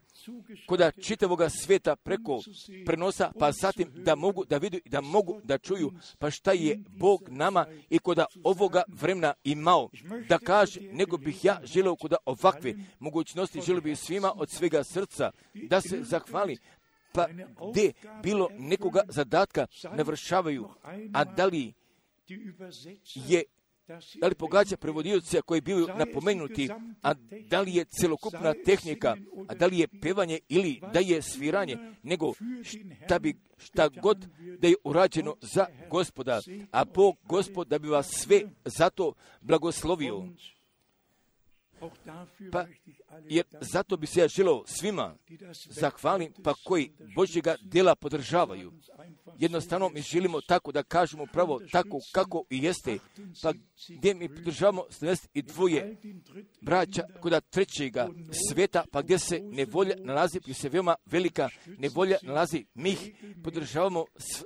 koda čitavoga svijeta preko prenosa, pa zatim da mogu da vidu i da mogu da čuju, pa šta je Bog nama i koda ovoga vremena imao da kaže, nego bih ja želeo koda ovakve mogućnosti, želeo bih svima od svega srca da se zahvali, pa gdje bilo nekoga zadatka navršavaju, a da li je, da li pogađa prevodioca koji bili napomenuti, a da li je celokupna tehnika, a da li je pevanje ili da je sviranje, nego šta, bi, šta god da je urađeno za Gospoda, a Bog Gospod da bi vas sve zato blagoslovio. Pa, jer zato bi se ja želeo svima zahvalim, pa koji Božjega djela podržavaju. Jednostavno mi želimo tako da kažemo pravo tako kako i jeste, pa gdje mi podržavamo sedamdeset dva braća koda trećega sveta, pa gdje se nevolja nalazi, gdje se veoma velika nevolja nalazi, mi ih podržavamo s,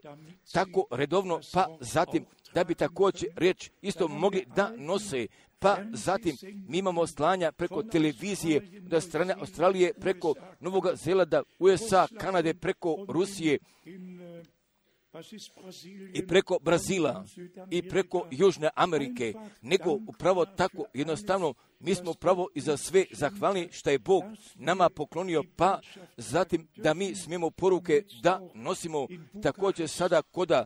tako redovno, pa zatim da bi također riječ isto mogli da nose. Pa zatim mi imamo slanja preko televizije da strane Australije, preko Novog Zelanda, U S A, Kanade, preko Rusije i preko Brazila i preko Južne Amerike, nego upravo tako jednostavno mi smo upravo i za sve zahvalni što je Bog nama poklonio, pa zatim da mi smijemo poruke da nosimo također sada koda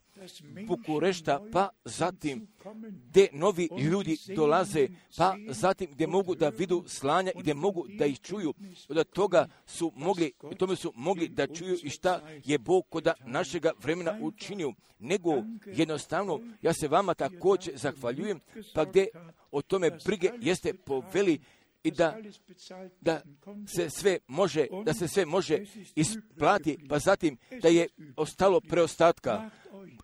Bukurešta, pa zatim gdje novi ljudi dolaze, pa zatim gdje mogu da vidu slanja i gdje mogu da ih čuju, od toga su mogli, tome su mogli da čuju i šta je Bog koda našega vremena učinio, nego jednostavno ja se vama također zahvaljujem, pa gdje o tome brige jeste poveli i da, da se sve može, da se sve može isplati, pa zatim da je ostalo preostatka.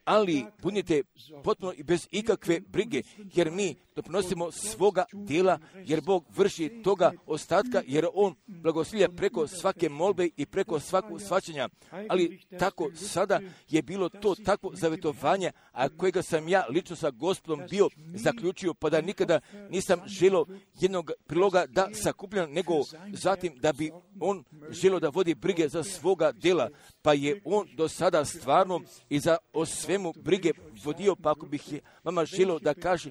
Ali budite potpuno i bez ikakve brige, jer mi doprinosimo svoga dijela, jer Bog vrši toga ostatka, jer On blagoslovlja preko svake molbe i preko svakog shvaćanja. Ali tako sada je bilo to takvo zavjetovanje, a kojega sam ja lično sa Gospodom bio zaključio, pa da nikada nisam želio jednog priloga da sakupljam, nego zatim da bi On želio da vodi brige za svoga dijela, pa je On do sada stvarno i za o svemu brige vodio, pa ako bih vama želio da kaže,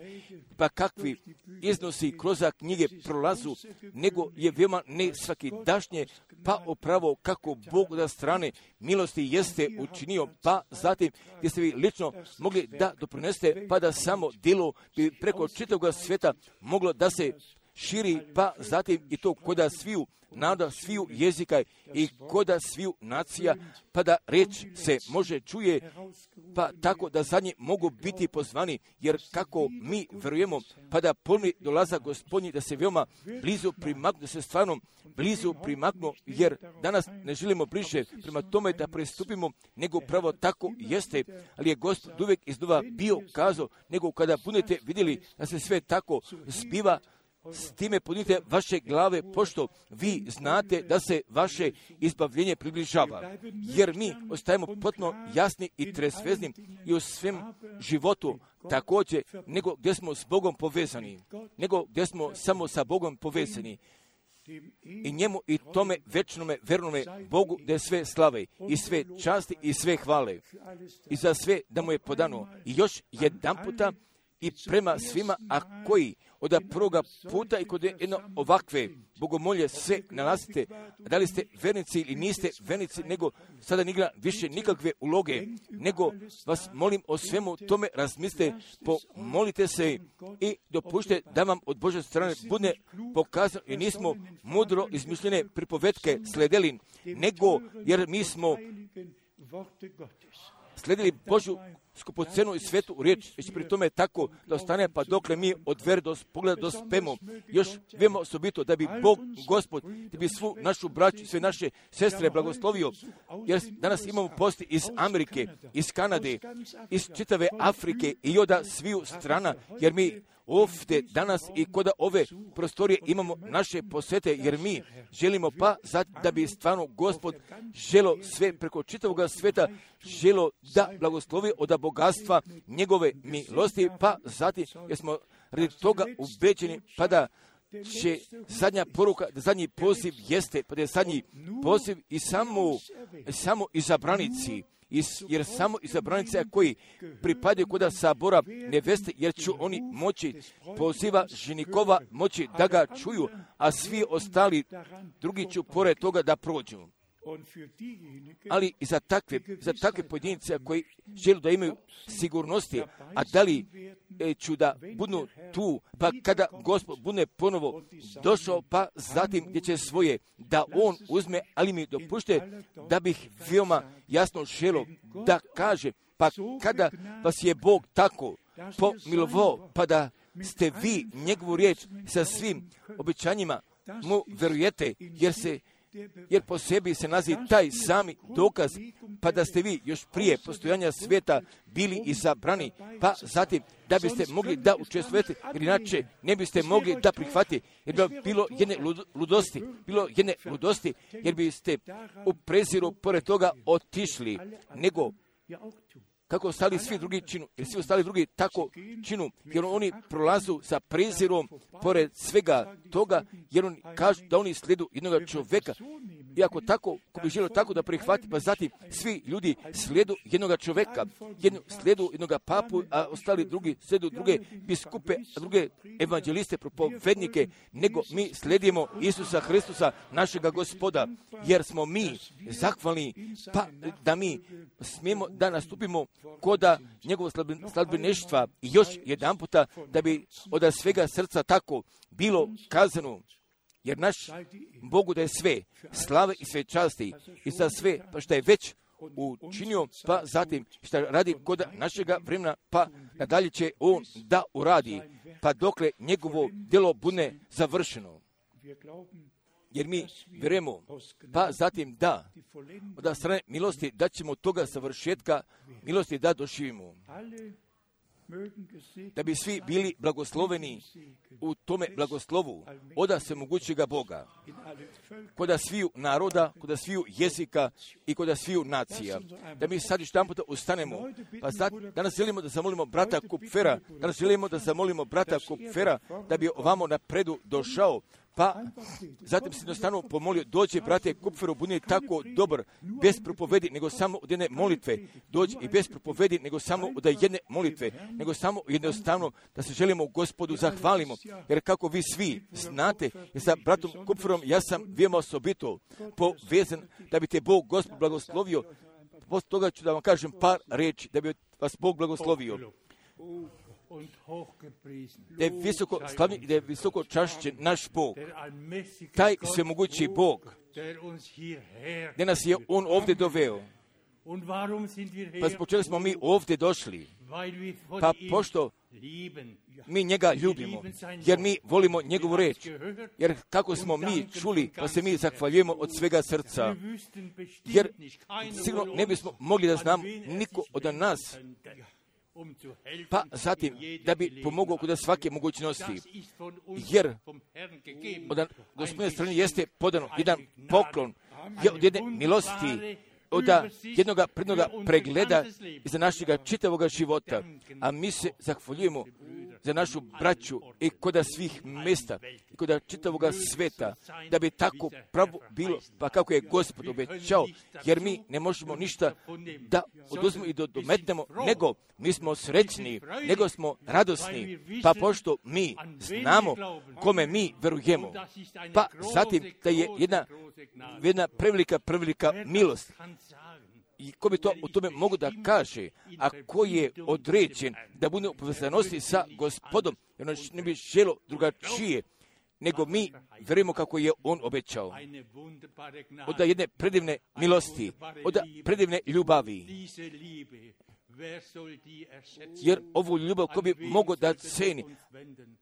pa kakvi iznosi kroz knjige prolazu, nego je veoma ne svaki dašnje, pa upravo kako Bog da strane milosti jeste učinio, pa zatim gdje ste vi lično mogli da doprinesete, pa da samo djelo bi preko čitavog svijeta moglo da se širi, pa zatim i to koda sviju naroda, sviju jezika i koda sviju nacija, pa da riječ se može čuje, pa tako da za nje mogu biti pozvani, jer kako mi vjerujemo, pa da ponovni dolaza Gospodnji, da se veoma blizu primaknu, da se stvarno blizu primaknu, jer danas ne želimo bliže prema tome da pristupimo, nego pravo tako jeste, ali je Gospod uvijek iznova bio kazao, nego kada budete vidjeli da se sve tako zbiva, s time podnite vaše glave, pošto vi znate da se vaše izbavljenje približava. Jer mi ostajemo potpuno jasni i tresvezni i u svem životu također, nego gdje smo s Bogom povezani, nego gdje smo samo sa Bogom povezani. I njemu i tome večnome, vernome Bogu da je sve slave i sve časti i sve hvale. I za sve da mu je podano. I još jedan puta i prema svima, a koji od prvoga puta i kod jedno ovakve bogomolje se nalazite, da li ste vernici ili niste vernici, nego sada nigra više nikakve uloge, nego vas molim o svemu tome razmislite, pomolite se i dopušte da vam od Božje strane bude pokazano, jer nismo mudro izmišljene pripovetke sledeli, nego jer mi smo sledili Božju skupocenu i svetu riječ, već pri tome tako da ostane, pa dokle mi od vere do pogleda dospemo. Još vemo osobito da bi Bog, Gospod, da bi svu našu braću, sve naše sestre blagoslovio, jer danas imamo posti iz Amerike, iz Kanade, iz čitave Afrike i od sviju strana, jer mi ovdje danas i kod ove prostorije imamo naše posete, jer mi želimo pa da bi stvarno Gospod želo sve preko čitavoga sveta, želo da blagoslovi od bogatstva njegove milosti, pa zatim jer smo radi toga ubeđeni pa da će zadnja poruka, da zadnji poziv jeste, pa da je zadnji poziv i samo, samo izabranici, jer samo izabranici koji pripadaju kod sabora neveste, jer će oni moći poziva ženikova moći da ga čuju, a svi ostali drugi će pored toga da prođu. Ali i za takve, za takve pojedince koji žele da imaju sigurnosti, a da li e, ću da budu tu, pa kada Gospod bude ponovo došao, pa zatim gdje će svoje da on uzme, ali mi dopušte da bih veoma jasno želio da kaže, pa kada vas je Bog tako pomilovao, pa da ste vi njegovu riječ sa svim obećanjima mu verujete, jer se jer po sebi se nalazi taj sami dokaz, pa da ste vi još prije postojanja svijeta bili izabrani, pa zatim da biste mogli da učestvujete, jer inače ne biste mogli da prihvatite, jer bi bilo jedne ludosti, bilo jedne ludosti, jer biste u preziru pored toga otišli, nego kako ostali svi drugi činu, jer svi ostali drugi tako činu, jer oni prolazu sa prezirom pored svega toga, jer oni kažu da oni slijedu jednog čovjeka. I ako tako, ko bi želio tako da prihvati, pa zatim svi ljudi slijedu jednog čovjeka, jednu, slijedu jednog papu, a ostali drugi slijedu druge biskupe, a druge evanđeliste, propovednike, nego mi slijedimo Isusa Hristusa, našega Gospoda, jer smo mi zahvalni, pa da mi smijemo da nastupimo koda njegovog sladbeneštva i još jedan puta da bi od svega srca tako bilo kazano, jer naš Bogu da je sve slave i sve časti i za sve pa što je već učinio, pa zatim što radi kod našega vremena, pa nadalje će on da uradi, pa dokle njegovo djelo bude završeno. Jer mi vjerujemo, pa zatim da, od strane milosti da ćemo toga savršetka milosti da doživimo. Da bi svi bili blagosloveni u tome blagoslovu od svemogućega Boga, kod sviju naroda, kod sviju jezika i kod sviju nacija. Da mi sad još jedan puta ustanemo, pa sad, danas želimo da zamolimo brata Kupfera, danas želimo da zamolimo brata Kupfera da bi ovamo napredu došao, pa zatim se jednostavno pomolio, dođe brate Kupferu, bude tako dobar, bez propovedi, nego samo od jedne molitve, dođe i bez propovedi, nego samo od jedne molitve, nego samo jednostavno da se želimo Gospodu zahvalimo, jer kako vi svi znate, jer sa bratom Kupferom ja sam veoma osobito povezan, da bi te Bog Gospod blagoslovio, poslije toga ću da vam kažem par reči, da bi vas Bog blagoslovio. Da je visoko slavni i da je visoko čašćen naš Bog, taj svemogući Bog, da nas je On ovdje doveo. Pa zbog čega smo mi ovdje došli? Pa pošto mi njega ljubimo, jer mi volimo njegovu reč, jer kako smo mi čuli, pa se mi zahvaljujemo od svega srca, jer sigurno ne bismo mogli da znamo niko od nas, pa zatim da bi pomogao kod svake mogućnosti, jer od Gospodine strane jeste podano jedan poklon, je od jedne milosti, od jednog prednog pregleda za našega čitavoga života, a mi se zahvaljujemo za našu braću i kod svih mjesta i kod čitavoga sveta, da bi tako pravo bilo, pa kako je Gospod obećao, jer mi ne možemo ništa da oduzmemo i da dometnemo, nego mi smo srećni, nego smo radosni, pa pošto mi znamo kome mi verujemo, pa zatim da je jedna, jedna prevelika, prevelika milost. I ko bi to o tome mogu da kaže, a ko je određen da bude u povezanosti sa Gospodom, jer on ne bi želo drugačije, nego mi verujemo kako je on obećao. Od jedne predivne milosti, od predivne ljubavi. Jer ovu ljubav ko bi mogao da ceni,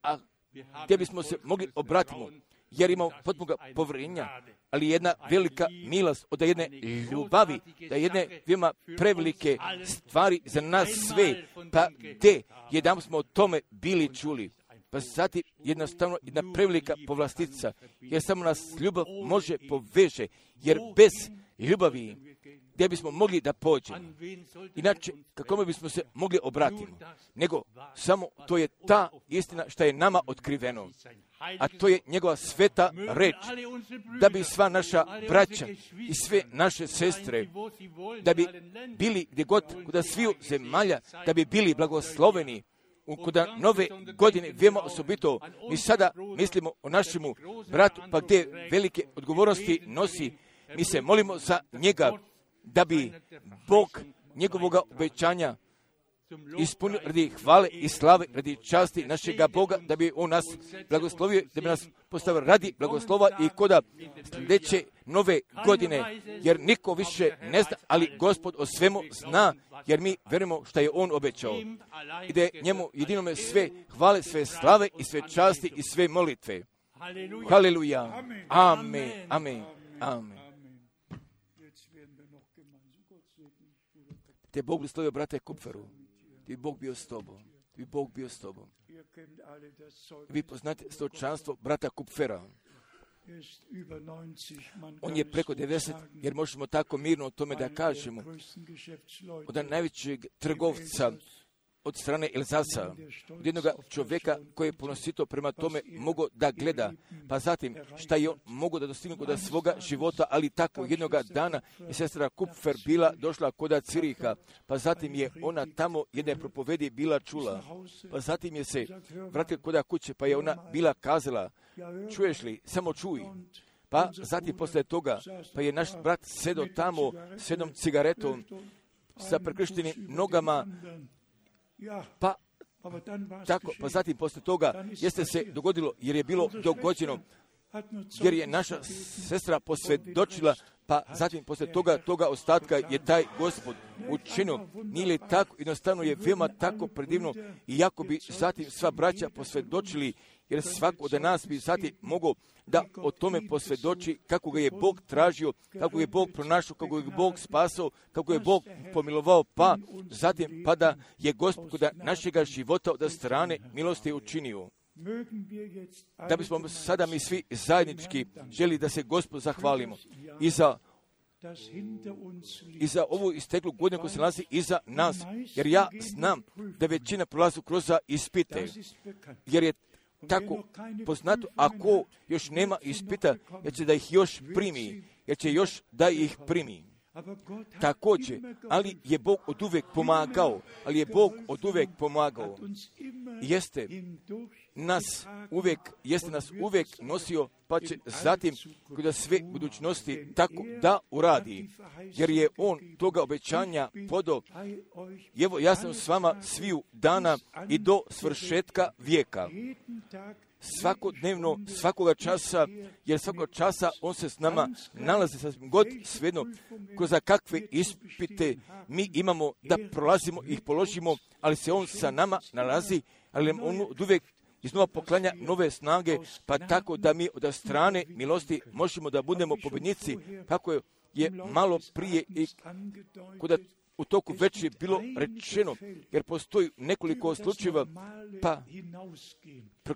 a gdje bismo se mogli obratiti, jer imamo potpuno povjerenja, ali jedna velika milost od jedne ljubavi, da jedne veoma prevelike stvari za nas sve, pa gdje jedan smo o tome bili čuli. pa zatim jednostavno jedna prevelika povlastica, jer samo nas ljubav može poveže, jer bez ljubavi gdje bismo mogli da pođemo, inače kako bismo se mogli obratiti, nego samo to je ta istina što je nama otkriveno, a to je njegova sveta reč, da bi sva naša braća i sve naše sestre, da bi bili gdje god, kuda sviju zemalja, da bi bili blagosloveni, kuda nove godine, vijemo osobito, mi sada mislimo o našemu bratu, pa gdje velike odgovornosti nosi, mi se molimo za njega, da bi Bog njegovoga obećanja ispunio radi hvale i slave, radi časti našega Boga, da bi on nas blagoslovio, da bi nas postavio radi blagoslova i koda sljedeće nove godine, jer niko više ne zna, ali Gospod o svemu zna, jer mi verujemo što je on obećao. I da je njemu jedinome sve hvale, sve slave i sve časti i sve molitve. Haleluja. Amen. Amen. Amen. Te Bog blagoslovio brate Kupferu. Ti Bog bio s tobom. Ti Bog bio s tobom. Vi poznate svjedočanstvo brata Kupfera. On je preko devedeset, jer možemo tako mirno o tome da kažemo, od najvećeg trgovca od strane Elzasa, od jednog čovjeka koji je ponosito prema tome mogao da gleda, pa zatim šta je on mogao da dostigne kod svoga života, ali tako jednog dana je sestra Kupfer bila došla kod Ciriha, pa zatim je ona tamo jedne propovedi bila čula, pa zatim je se vratila kod kuće, pa je ona bila kazala, čuješ li, samo čuj. Pa zatim posle toga, pa je naš brat sedo tamo s jednom cigaretom, sa prekrštenim nogama, pa tako, pa zatim posle toga jeste se dogodilo, jer je bilo dogođeno, jer je naša sestra posvjedočila, pa zatim posle toga, toga ostatka je taj Gospod učinio. Nije li tako, jednostavno je veoma tako predivno, i jako bi zatim sva braća posvjedočili, jer svako od nas bi zatim mogao da o tome posvjedoči kako ga je Bog tražio, kako je Bog pronašao, kako je Bog spasao, kako je Bog pomilovao, pa zatim pa da je Gospod kod našega života od strane milosti učinio. Da bismo sada mi svi zajednički želi da se Gospod zahvalimo i za i za ovu isteklu godinu koja se nalazi iza nas, jer ja znam da većina prolazi kroz ispite, jer je tako poznato, ako još nema ispita, jer će da ih još primi, jer će još da ih primi. Također, ali je Bog od uvek pomagao, ali je Bog od uvek pomagao. Jeste nas uvek, jeste nas uvek nosio, pa će zatim kada sve budućnosti tako da uradi, jer je on toga obećanja podao. Evo, ja sam s vama sviju dana i do svršetka vijeka. Svakodnevno, svakoga časa, jer svakog časa on se s nama nalazi sasvim god svejedno, kroz kakve ispite mi imamo da prolazimo ih položimo, ali se on sa nama nalazi, ali on od uvijek iznova poklanja nove snage, pa tako da mi od strane milosti možemo da budemo pobjednici, kako je, je malo prije i kuda u toku već je bilo rečeno, jer postoji nekoliko slučajeva, pa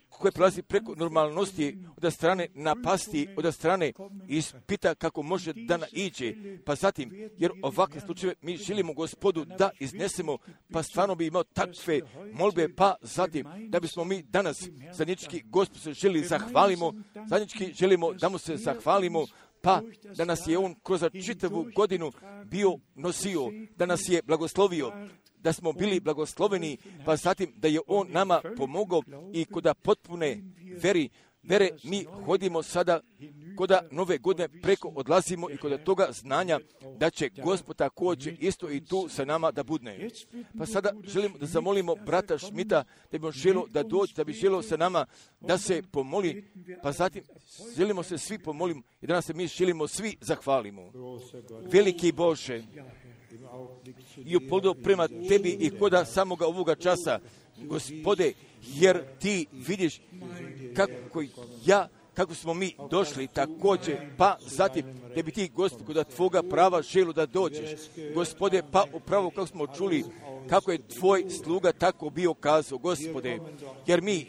koje prelazi preko normalnosti od strane napasti, od strane ispita kako može da naiđe, pa zatim, jer ovakve slučajeve mi želimo Gospodu da iznesemo, pa stvarno bi imao takve molbe, pa zatim, da bismo mi danas zajednički Gospod se želi zahvalimo, zajednički želimo da mu se zahvalimo, pa da nas je on kroz čitavu godinu bio nosio, da nas je blagoslovio, da smo bili blagosloveni, pa zatim da je on nama pomogao i koda potpune veri, vere mi hodimo sada, koda nove godine preko odlazimo i koda toga znanja da će Gospod također isto i tu sa nama da budne. Pa sada želimo da zamolimo brata Šmita da bi on želio da dođe, da bi želio sa nama da se pomoli, pa zatim želimo se svi pomolimo i danas se mi želimo svi zahvalimo. Veliki Bože, i upoldo prema tebi i koda samoga ovoga časa, Gospode, jer ti vidiš kako ja, kako smo mi došli također, pa zatim da bi ti, Gospod, kod tvoga prava želu da dođeš. Gospode, pa upravo kako smo čuli, kako je tvoj sluga tako bio kazao, Gospode, jer mi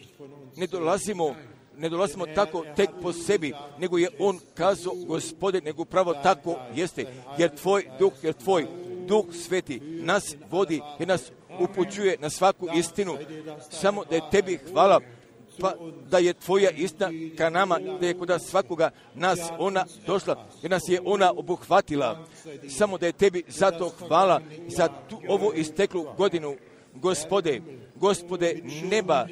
ne dolazimo, ne dolazimo tako tek po sebi, nego je on kazao, Gospode, nego pravo tako jeste, jer tvoj duh, jer tvoj Duh Sveti nas vodi i nas upućuje na svaku istinu. Samo da je tebi hvala, pa da je tvoja istina ka nama, da je kod svakoga nas ona došla, jer nas je ona obuhvatila. Samo da je tebi zato hvala za tu, ovu isteklu godinu, Gospode, Gospode neba,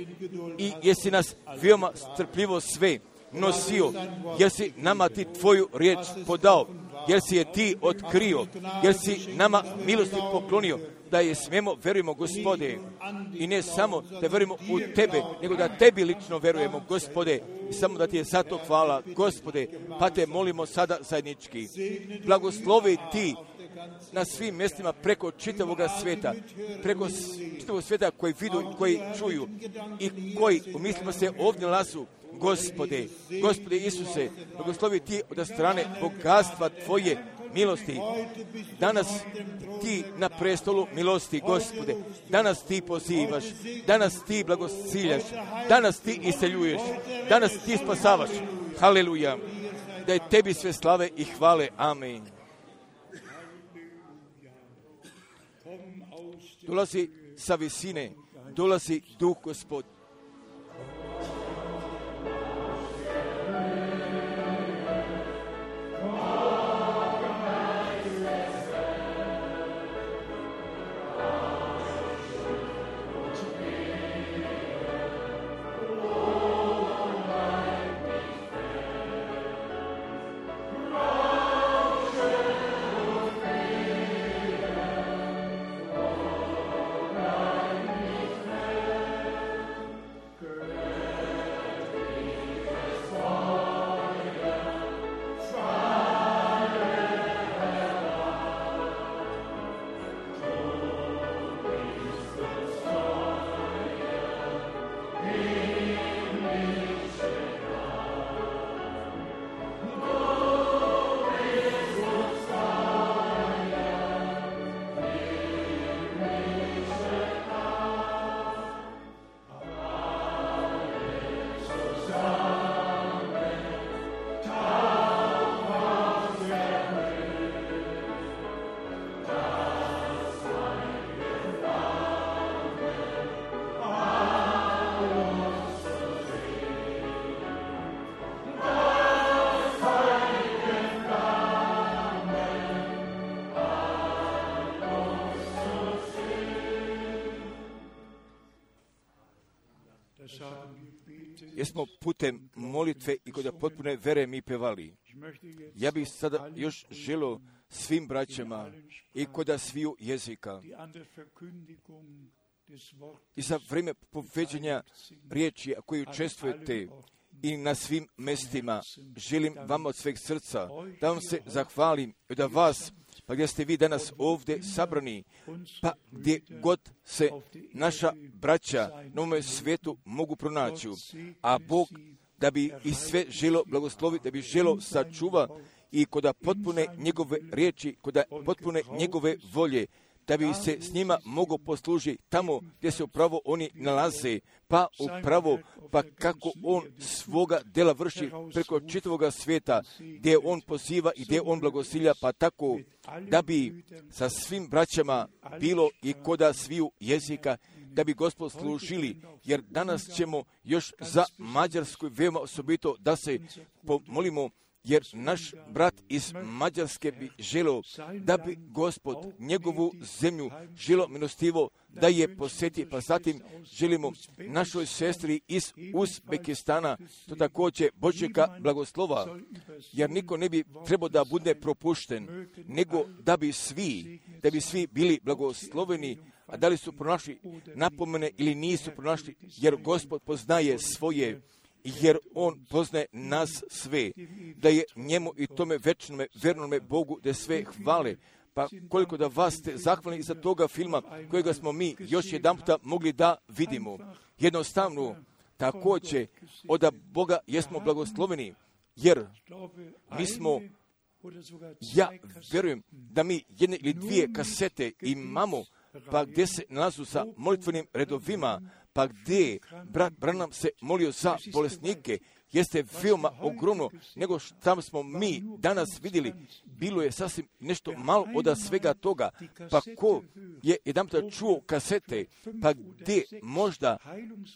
i jesi nas veoma strpljivo sve nosio, jer si nama ti tvoju riječ podao, jer si je ti otkrio, jer si nama milosti poklonio, da je smijemo, verujemo, Gospode, i ne samo da verujemo u tebe, nego da tebi lično verujemo, Gospode, i samo da ti je zato hvala, Gospode, pa te molimo sada zajednički. Blagoslovi ti na svim mjestima preko čitavoga sveta, preko čitavog sveta koji vidu, koji čuju i koji u mislima se ovdje nalazu. Gospode, Gospode Isuse, blagoslovi ti od strane bogatstva tvoje milosti. Danas ti na prestolu milosti, Gospode, danas ti pozivaš, danas ti blagociljaš, danas ti isceljuješ, danas ti spasavaš. Haleluja, da je tebi sve slave i hvale. Amen. Dolazi sa visine, dolazi Duh Gospod. Jesmo putem molitve i kod potpune vere mi pevali. Ja bih sada još želio svim braćama i kod sviju jezika i za vrijeme povedženja riječi koje učestvujete i na svim mestima, želim vam od sveg srca da vam se zahvalim i da vas, pa gdje ste vi danas ovdje sabrani, pa gdje god se naša braća na ovome svijetu mogu pronaći, a Bog da bi i sve želo blagosloviti, da bi želo sačuva i koda potpune njegove riječi, koda potpune njegove volje, da bi se s njima mogo poslužiti tamo gdje se upravo oni nalaze, pa upravo, pa kako on svoga dela vrši preko čitavoga svijeta, gdje on poziva i gdje on blagosilja, pa tako da bi sa svim braćama bilo i koda sviju jezika, da bi Gospod služili, jer danas ćemo još za Mađarsku veoma osobito da se pomolimo, jer naš brat iz Mađarske bi želio da bi Gospod njegovu zemlju želio milostivo da je posjeti, pa zatim želimo našoj sestri iz Uzbekistana to također Božjega blagoslova, jer niko ne bi trebao da bude propušten, nego da bi svi, da bi svi bili blagosloveni, a da li su pronašli napomene ili nisu pronašli, jer Gospod poznaje svoje, jer on poznaje nas sve, da je njemu i tome večnome, vernome Bogu da sve hvale. Pa koliko da vas ste zahvalni za toga filma kojega smo mi još jedan puta mogli da vidimo. Jednostavno, također od Boga jesmo blagosloveni, jer mi smo, ja vjerujem da mi jedne ili dvije kasete imamo, pa gdje se nalazu sa molitvenim redovima, pa gdje brat Branham se molio za bolesnike, jeste veoma ogromno, nego što smo mi danas vidjeli, bilo je sasvim nešto malo od svega toga, pa ko je jedan puta čuo kasete, pa gdje možda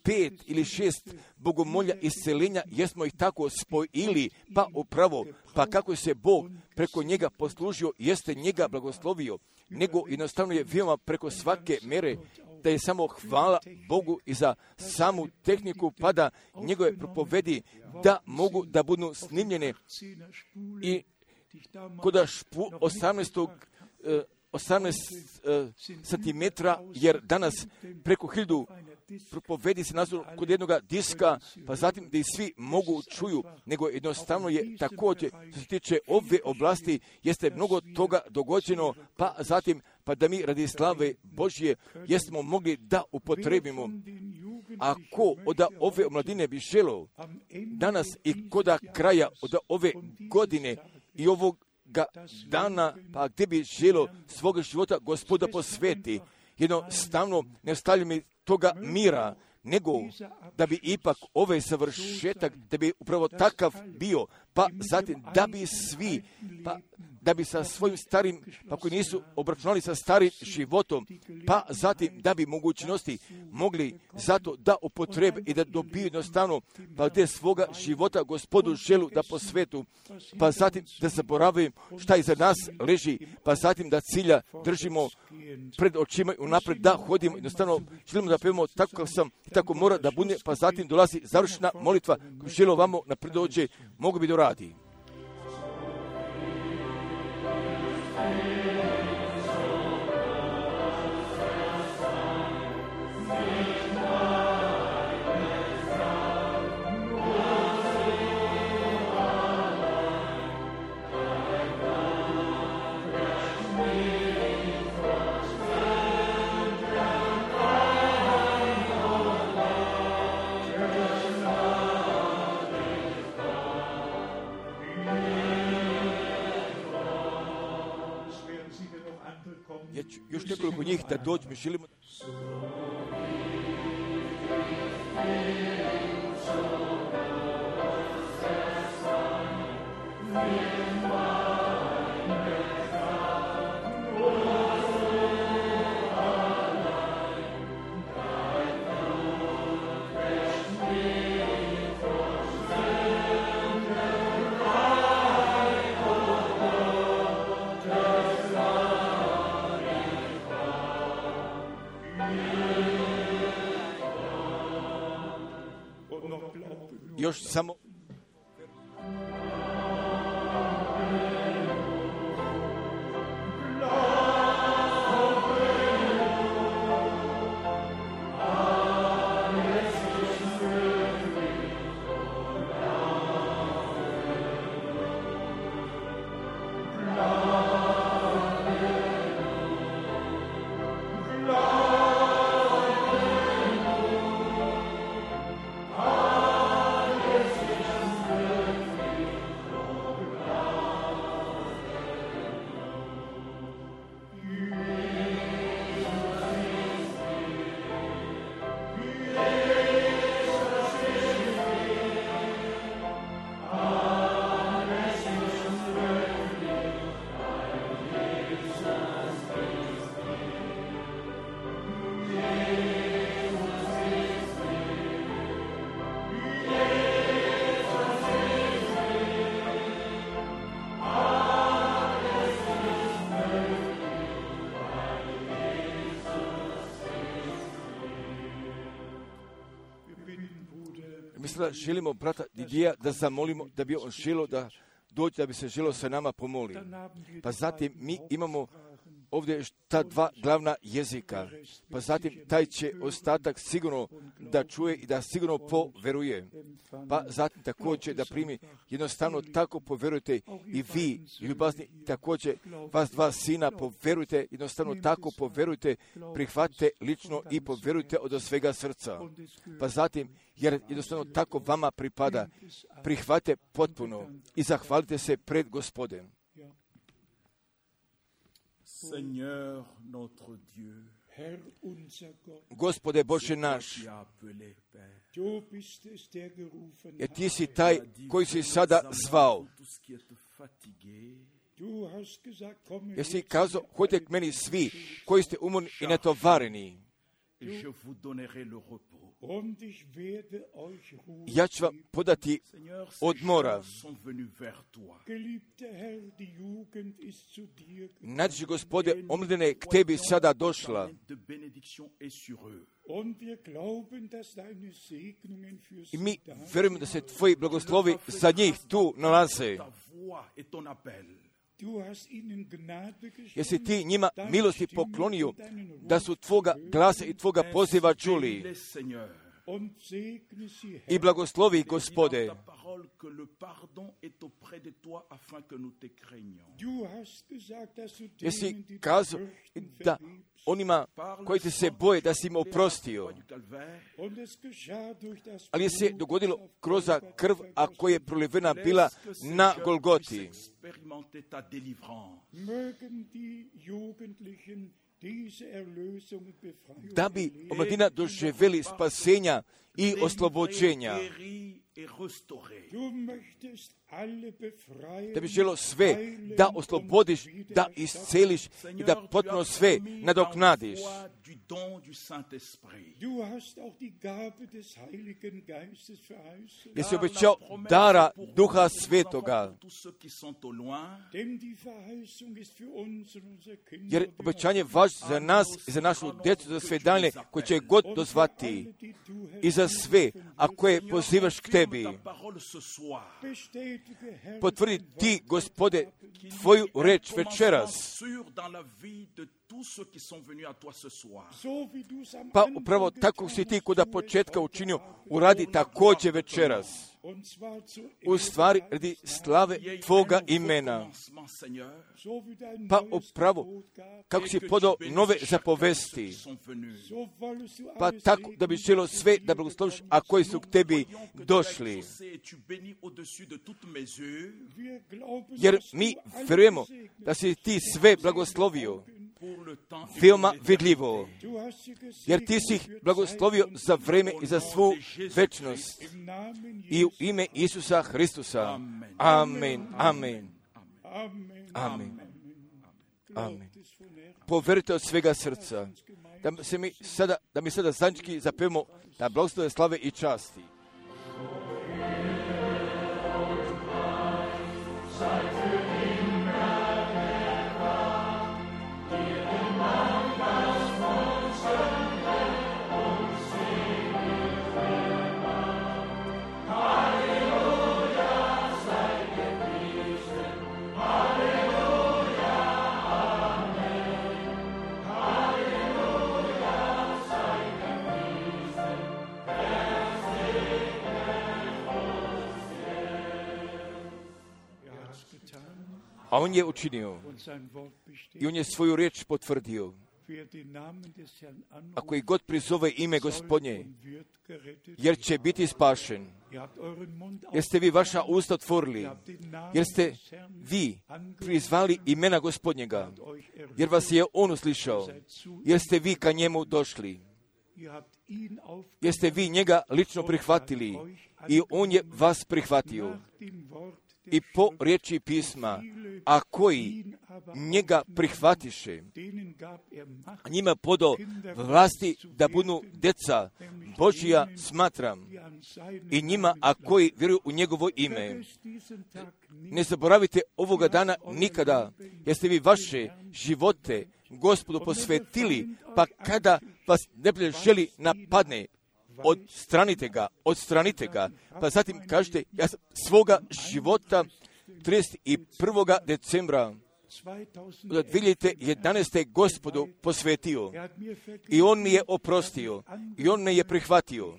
pet ili šest bogomolja isceljenja, jesmo ih tako spojili, pa upravo, pa kako se Bog preko njega poslužio, jeste njega blagoslovio, nego jednostavno je veoma preko svake mere, da je samo hvala Bogu i za samu tehniku, pa da njegove propovedi da mogu da budu snimljene i kod špu osamnaest centimetra, jer danas preko hiljadu propovedi se nazvu kod jednog diska, pa zatim da i svi mogu čuju, nego jednostavno je također, što se tiče ove oblasti, jeste mnogo toga dogođeno, pa zatim, pa da mi radi slave Božje jesmo mogli da upotrebimo. Ako od ove omladine bi želo danas i koda kraja od ove godine i ovog dana, pa gdje bi želo svoga života Gospoda posveti, jednostavno ne ostavlja mi toga mira, nego da bi ipak ovaj završetak, da bi upravo takav bio, pa zatim da bi svi, pa da bi sa svojim starim, pa koji nisu obračunali sa starim životom, pa zatim da bi mogućnosti mogli zato da upotrebe i da dobiju jednostavno, pa gdje svoga života Gospodu želu da posvetu, pa zatim da zaboravim šta iza nas leži, pa zatim da cilja držimo pred očima i unapred da hodimo, jednostavno želimo da pevamo tako kao sam i tako mora da bude, pa zatim dolazi završna molitva koju želo vamo napred dođe, mogu bi doradi. Još nekoliko njih da dođu, mi želimo... Još samo Mislim da želimo brata Didija da zamolimo da bi on želo da dođe, da bi se želo sa nama pomoli. Pa zatim mi imamo ovdje ta dva glavna jezika, pa zatim taj će ostatak sigurno da čuje i da sigurno poveruje. Pa zatim također da primi, jednostavno tako poverujte i vi, ljubazni, također vas dva sina poverujte, jednostavno tako poverujte, prihvatite lično i poverujte od svega srca. Pa zatim, jer jednostavno tako vama pripada, prihvatite potpuno i zahvalite se pred Gospodem. Seigneur notre Dieu, Gospode Bože naš, jer ti si taj koji si sada zvao. Jer si kazao, hodite k meni svi koji ste umorni i natovareni. Ja ću vam podati odmora. Nađi, Gospode, omladina je k tebi sada došla. I mi vjerujemo da se tvoji blagoslovi za njih tu nalaze. Jesi ti njima milosti poklonio da su tvoga glasa i tvoga poziva čuli. I blagoslovi, Gospode. Jesi kazao da onima koji te se boje da si im oprostio. Ali je se dogodilo kroz krv, a koja je prolivena bila na Golgoti. Da bi omladina doživjeli spasenja i oslobođenja. Da bi želo sve da oslobodiš, da isceliš i da potpuno sve nadoknadiš. Jesi obećao dara Duha Svetoga. Jer obećanje vaš za nas i za našu djecu, za sve dalje koje će god dozvati i za sve, a koje pozivaš k tebi. Potvrdi ti, Gospode, tvoju reč večeras. Pa upravo tako si ti koda početka učinio, uradi također večeras. U stvari radi slave tvoga imena. Pa upravo kako si podao nove zapovesti. Pa tako da bi želo sve da blagosloviš, a koji su k tebi došli. Jer mi vjerujemo da si ti sve blagoslovio. Veoma vidljivo. Jer ti si ih blagoslovio za vreme i za svu večnost. I u ime Isusa Hristusa. Amen. Amen. Amen. Amen. Poverite od svega srca. Da, se mi sada, da mi sada zajednički zapevamo na blagoslove, slave i časti. A on je učinio. I on je svoju riječ potvrdio. Ako i god prizove ime Gospodnje, jer će biti spašen. Jer ste vi vaša usta otvorili. Jer ste vi prizvali imena Gospodnjega. Jer vas je on uslišao. Jer ste vi ka njemu došli. Jer ste vi njega lično prihvatili. I on je vas prihvatio. I po riječi pisma, a koji njega prihvatiše, njima podao vlasti da budu deca Božija, smatram, i njima, a koji vjeruju u njegovo ime. Ne zaboravite ovoga dana nikada, jer ste vi vaše živote Gospodu posvetili, pa kada vas neprijatelj želi napadne, odstranite ga, odstranite ga. Pa zatim kažete, ja sam svoga života trideset prvog decembra dvije hiljade jedanaeste. Gospodu posvetio. I on mi je oprostio. I on me je prihvatio.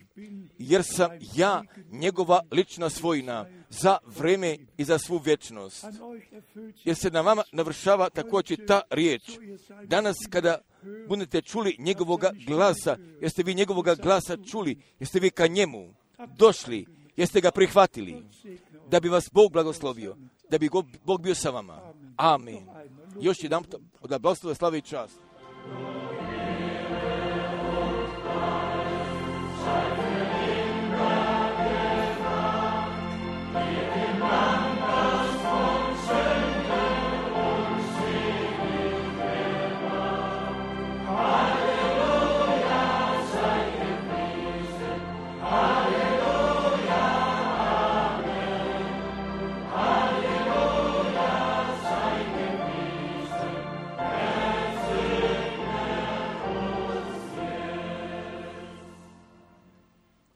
Jer sam ja njegova lična svojina za vreme i za svu vječnost. Jer se na vama navršava također ta riječ. Danas kada budete čuli njegovoga glasa, jeste vi njegovoga glasa čuli, jeste vi ka njemu došli, jeste ga prihvatili, da bi vas Bog blagoslovio, da bi Bog bio sa vama. Amen. Još jedan da blagoslove, slave i čast.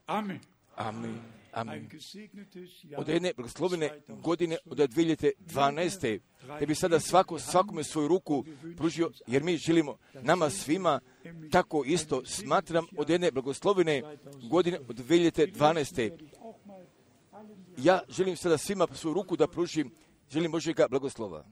Amen. Amen. Amen. Ein gesegnetes Jahr. Od jedne blagoslovene godine od dvije hiljade dvanaeste. Da bi sada svako, svakome svoju ruku pružio, jer mi želimo nama svima tako isto. Smatram od jedne blagoslovene godine od dvije hiljade dvanaeste. Ja želim sada svima svoju ruku da pružim. Želim Božjega blagoslova.